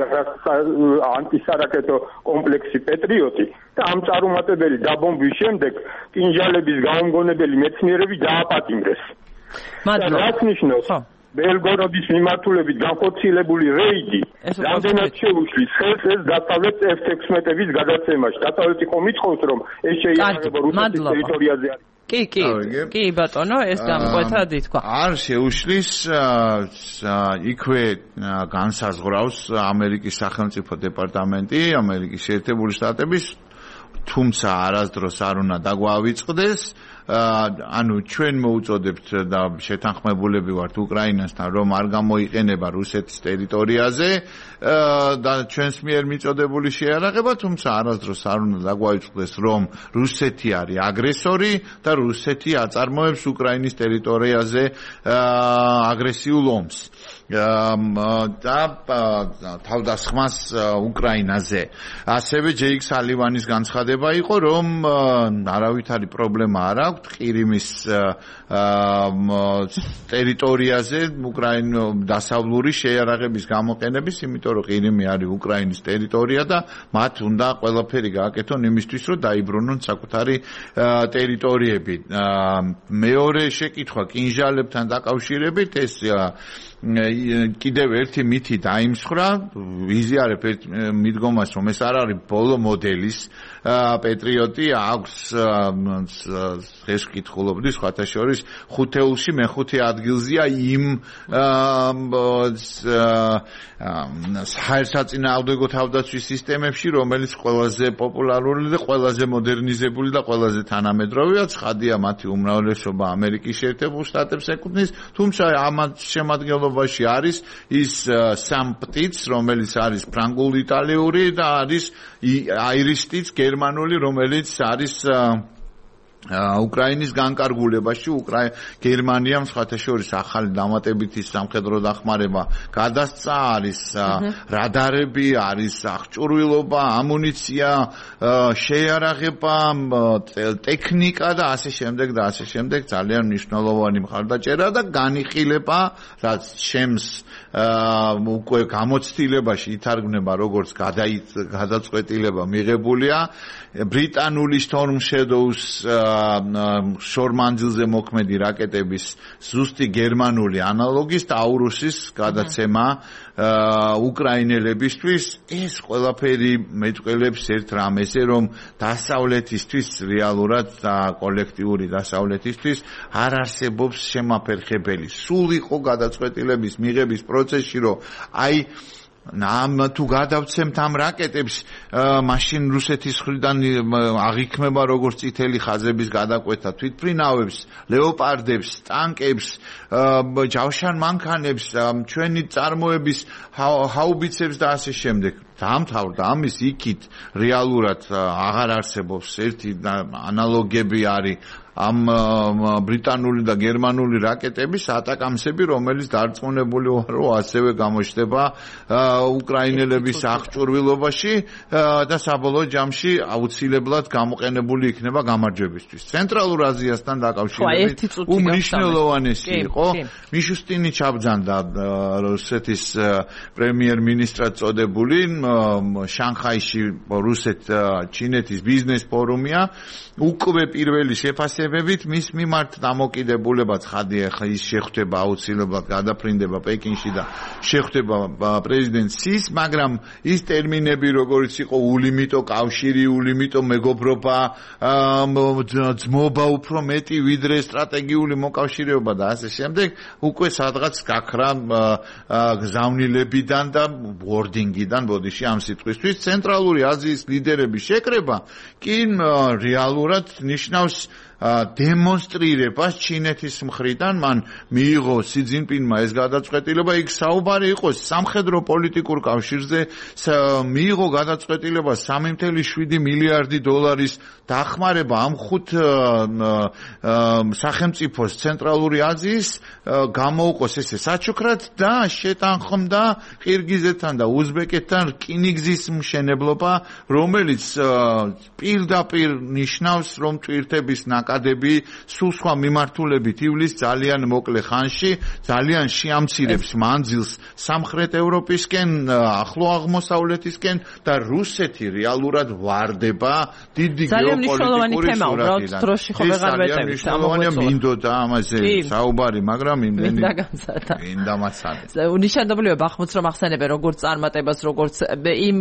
[SPEAKER 6] ანტისარაკეტო კომპლექსი პეტრიოტი და ამ წარუმატებელი დაბომბვის შემდეგ კინჟალების გამომგონებელი მეცნიერები დააპატიმრეს.
[SPEAKER 1] მადლობა.
[SPEAKER 6] რაც ნიშნავს ბელგოროდის მიმართულებით განხორციელებული რეიდი რამდენად შეუშლის ხელს ეს დასავლეთ ეფ ექვსმეტების გადაცემაში. დასავლეთი ხომ ითხოვს რომ ეს შეიარაღება რუსეთის ტერიტორიაზე არის.
[SPEAKER 1] კი, კი, კი ბატონო, ეს დამკვეთად ითქვა.
[SPEAKER 2] არ შეუშლის იქვე განსაზღვრავს ამერიკის სახელმწიფო დეპარტამენტი, ამერიკის შეერთებული შტატების, თუმცა არასდროს არ უნდა დაგვავიწყდეს, ანუ ჩვენ მოუწოდებთ და შეთანხმებულები ვართ უკრაინასთან, რომ არ გამოიყენება რუსეთის ტერიტორიაზე და ჩვენს მიერ მიწოდებული შეიარაღება, თუმცა არასდროს არ უნდა დაგვაიწყდეს, რომ რუსეთი არის აგრესორი და რუსეთი აწარმოებს უკრაინის ტერიტორიაზე აგრესიულ ომს. და თავდასხმას უკრაინაზე. ასევე ჯეიკ სალივანის განცხადება იყო, რომ არავითარი პრობლემა არ აქვს ყირიმის ტერიტორიაზე უკრაინის დასავლური შეიარაღების გამოყენების, იმიტომ რომ ყირიმი არის უკრაინის ტერიტორია და მათ უნდა ყველაფერი გააკეთონ იმისთვის, რომ დაიბრუნონ საკუთარი ტერიტორიები. მეორე შეკითხვა კინჟალებთან დაკავშირებით ეს კიდევ ერთი მითი დაიმსხრა, ვიზიარებ ერთ მიდგომას, რომ ეს არ არის ბოლო მოდელის პეტრიოტი, აქვს ეს კითხულობდი, სხვათა შორის ხუთეულში მეხუთე ადგილზეა იმ საერთაშორისო თავდაცვის სისტემებში, რომელიც ყველაზე პოპულარული და ყველაზე მოდერნიზებული და ყველაზე თანამედროვეა. ცხადია, მათი უმრავლესობა ამერიკის შეერთებულ შტატებს ეკუთვნის, თუმცა ამათ შემადგენლობაში არის ის სამპტიც, რომელიც არის ფრანგულ-იტალიური და არის აირისტიც გერმანული, რომელიც არის უკრაინის განკარგულებაში. უკრაინა გერმანიამ სხვათა შორის ახალი დამატებითი სამხედრო დახმარება გადასცა, არის რადარები, არის აღჭურვილობა, ამუნიცია, შეიარაღება, ტექნიკა და ასე შემდეგ და ასე შემდეგ. ძალიან მნიშვნელოვანი მხარდაჭერა და განიხილება, რაც ჩემს უკვე გამოცდილებაში ითარგმნება როგორც გადაწყვეტილება მიღებულია ბრიტანული Storm Shadows შორმანძილზე მოქმედი რაკეტების ზუსტი გერმანული ანალოგის ტაურუსის გადაცემა უკრაინელებისთვის. ეს ყველაფერი მეტყველებს ერთ რამეზე, რომ დასავლეთისთვის რეალურად და კოლექტიური დასავლეთისთვის არ არსებობს შემაფერხებელი. სულ იყო გადაწყვეტილების მიღების პროცესში, რომ აი ნამ თუ გადავცემთ ამ რაკეტებს, მაშინ რუსეთის მხრიდან აღიქმება როგორც წითელი ხაზების გადაკვეთა თვითმფრინავებს, ლეოპარდებს, ტანკებს, ჯავშან მანქანებს, ჩვენი წარმოების ჰაუბიცებს და ასე შემდეგ. დაამთავრდა ამის იქით რეალურად აღარ არსებობს ერთი ანალოგები არის ამ ბრიტანული და გერმანული რაკეტების ატაკამსები, რომელიც დარწმუნებული ვარ, რომ ასევე გამოჩნდება უკრაინელების აღჭურვილობაში და საბოლოო ჯამში აუცილებლად გამოყენებული იქნება გამარჯვებისთვის. ცენტრალურ აზიასთან დაკავშირებით უმნიშვნელოვანესი იყო მიშუსტინი ჩაბძანდა რუსეთის პრემიერ-მინისტრად წოდებული შანხაიში რუსეთ-ჩინეთის ბიზნეს ფორუმია უკვე პირველი შეფასებებით მის მიმართ დამოკიდებულება ცხადია ხა ის შეხვდება აუცილებლად გადაფრინდება პეკინში და შეხვდება პრეზიდენტ სის, მაგრამ ის ტერმინები როგორც იყო ულიმიტო კავშირი, ულიმიტო მეგობრობა, ძმობა უფრო მეტი ვიდრე სტრატეგიული მოკავშირეობა და ასე შემდეგ უკვე სადღაც გაქრა გზავნილებიდან და ბორდინგიდან ბოდიში ამ სიტყვისთვის ცენტრალური აზიის ლიდერების შეკრება კი რეალურად ნიშნავს დემონსტრირებას ჩინეთის მხრიდან მან მიიღო სი ძინპინმა ეს გადაწყვეტილება იქ საუბარი იყო სამხედრო პოლიტიკურ კავშირზე მიიღო გადაწყვეტილება სამი ათეული შვიდი მილიარდი დოლარის დახმარება ამ ხუთ სახელმწიფოს ცენტრალური აზიის გამოუყოს ესე საჩუქრად და შეტანხმდა ყირგიზეთთან და უზბეკეთთან რკინიგზის მშენებლობა რომელიც პირდაპირ ნიშნავს რომ ტვირთების აკადები სულ სხვა მიმართულებით ივლის ძალიან მოკლე ხანში ძალიან შეამცირებს მანძილს სამხრეთ ევროპისკენ ახლო აღმოსავლეთისკენ და რუსეთი რეალურად ვარდება დიდი გეოპოლიტიკური სურათიდან დროში ხო ვეღარ მეტევით ამოწმებია მინდოდა ამაზე საუბარი მაგრამ იმდენი მინდა მასალა
[SPEAKER 1] უნიშნავია ბახმუთს რომ ახსენებენ როგორც წარმატებას როგორც იმ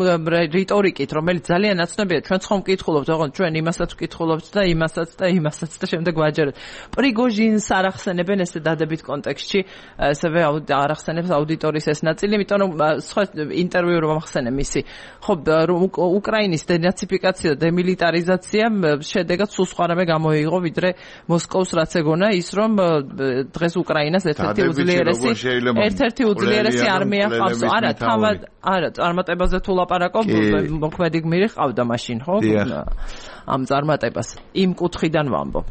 [SPEAKER 1] რიტორიკით რომელიც ძალიან ნაცნობია ჩვენ ხომ ვკითხულობთ ოღონდ ჩვენ იმასაც ვკითხულობთ და იმასაც და იმასაც და შემდეგ ვაჯეროთ. პრიგოჟინს არ ახსენებენ ესე დადებით კონტექსტში, ასევე არ ახსენებს აუდიტორიის ეს ნაწილი, იმიტომ რომ სხვა ინტერვიუ რომ ახსენე მისი. ხო, უკრაინის დენაციფიკაცია და დემილიტარიზაცია შედეგად სულ სხვა რამე გამოიღო, ვიდრე მოსკოვს რაც ეგონა ის რომ დღეს უკრაინას ერთ-ერთი უძლიერესი ერთ-ერთი უძლიერესი არმია ყავს. არა, თავად არა, წარმატებაზე თუ ლაპარაკობ, მოქმედი გმირი ყავდა მაშინ, ხო? ამ წარმატებას იმ კუთხიდან ვამბობ.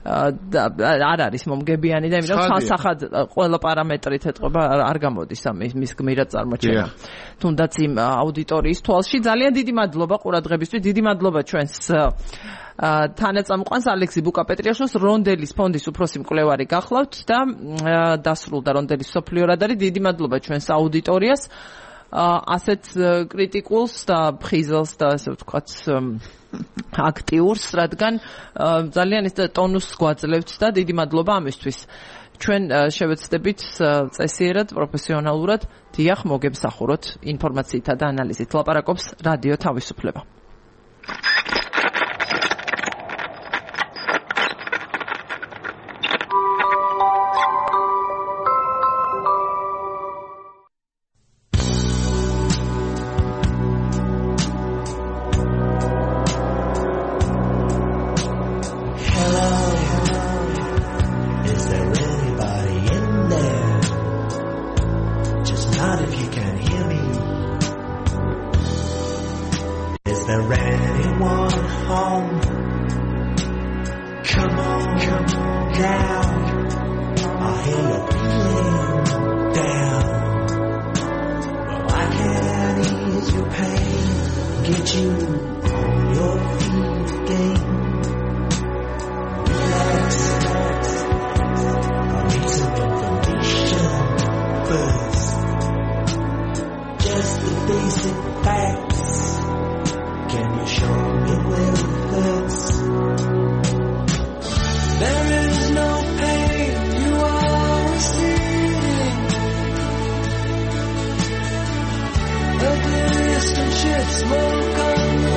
[SPEAKER 1] არ არის მომგებიანი და იმიტომ სასახად ყველა პარამეტრით ეთყობა არ გამოდის ამ მის გმირად წარმოჩენა. თუნდაც იმ აუდიტორიის თვალში ძალიან დიდი მადლობა ყურადღებისთვის, დიდი მადლობა ჩვენს თანაწამყვანს ალექსი ბუკაპეტრიაშვილს რონდელის ფონდის უფროსი მკვლევარი გახლავთ და დასრულდა რონდელის სოფლიო რადარი. დიდი მადლობა ჩვენს აუდიტორიას ასეთ კრიტიკულს და ფხიზელს და ასე ვთქვათ აქტიურს, რადგან ძალიან ის ტონუსს გვაძლევთ და დიდი მადლობა ამისთვის. ჩვენ შევეცდებით წესიერად, პროფესიონალურად დიახ მოგემსახუროთ ინფორმაციითა და ანალიზით. ლაპარაკობს რადიო თავისუფლება.
[SPEAKER 7] Smoke on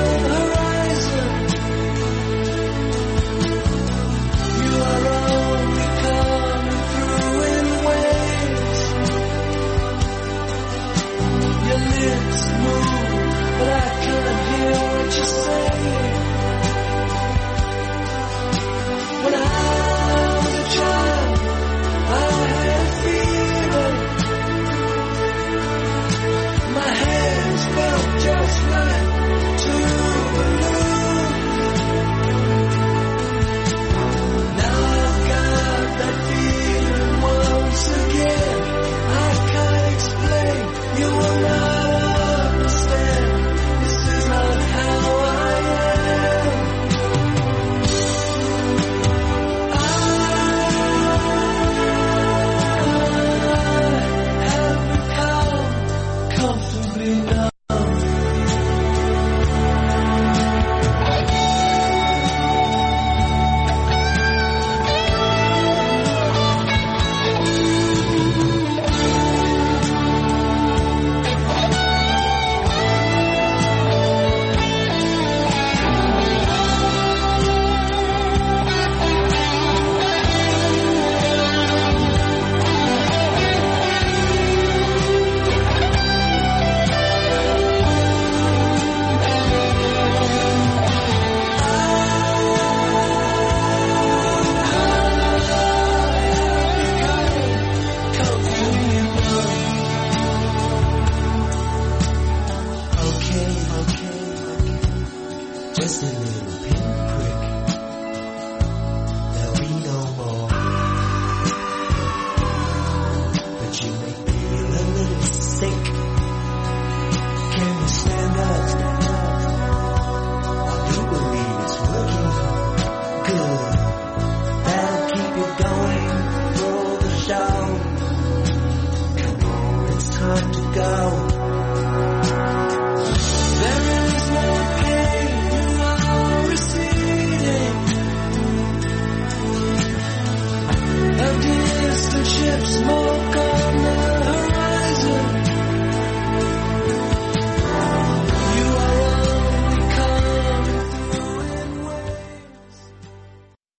[SPEAKER 7] Radio.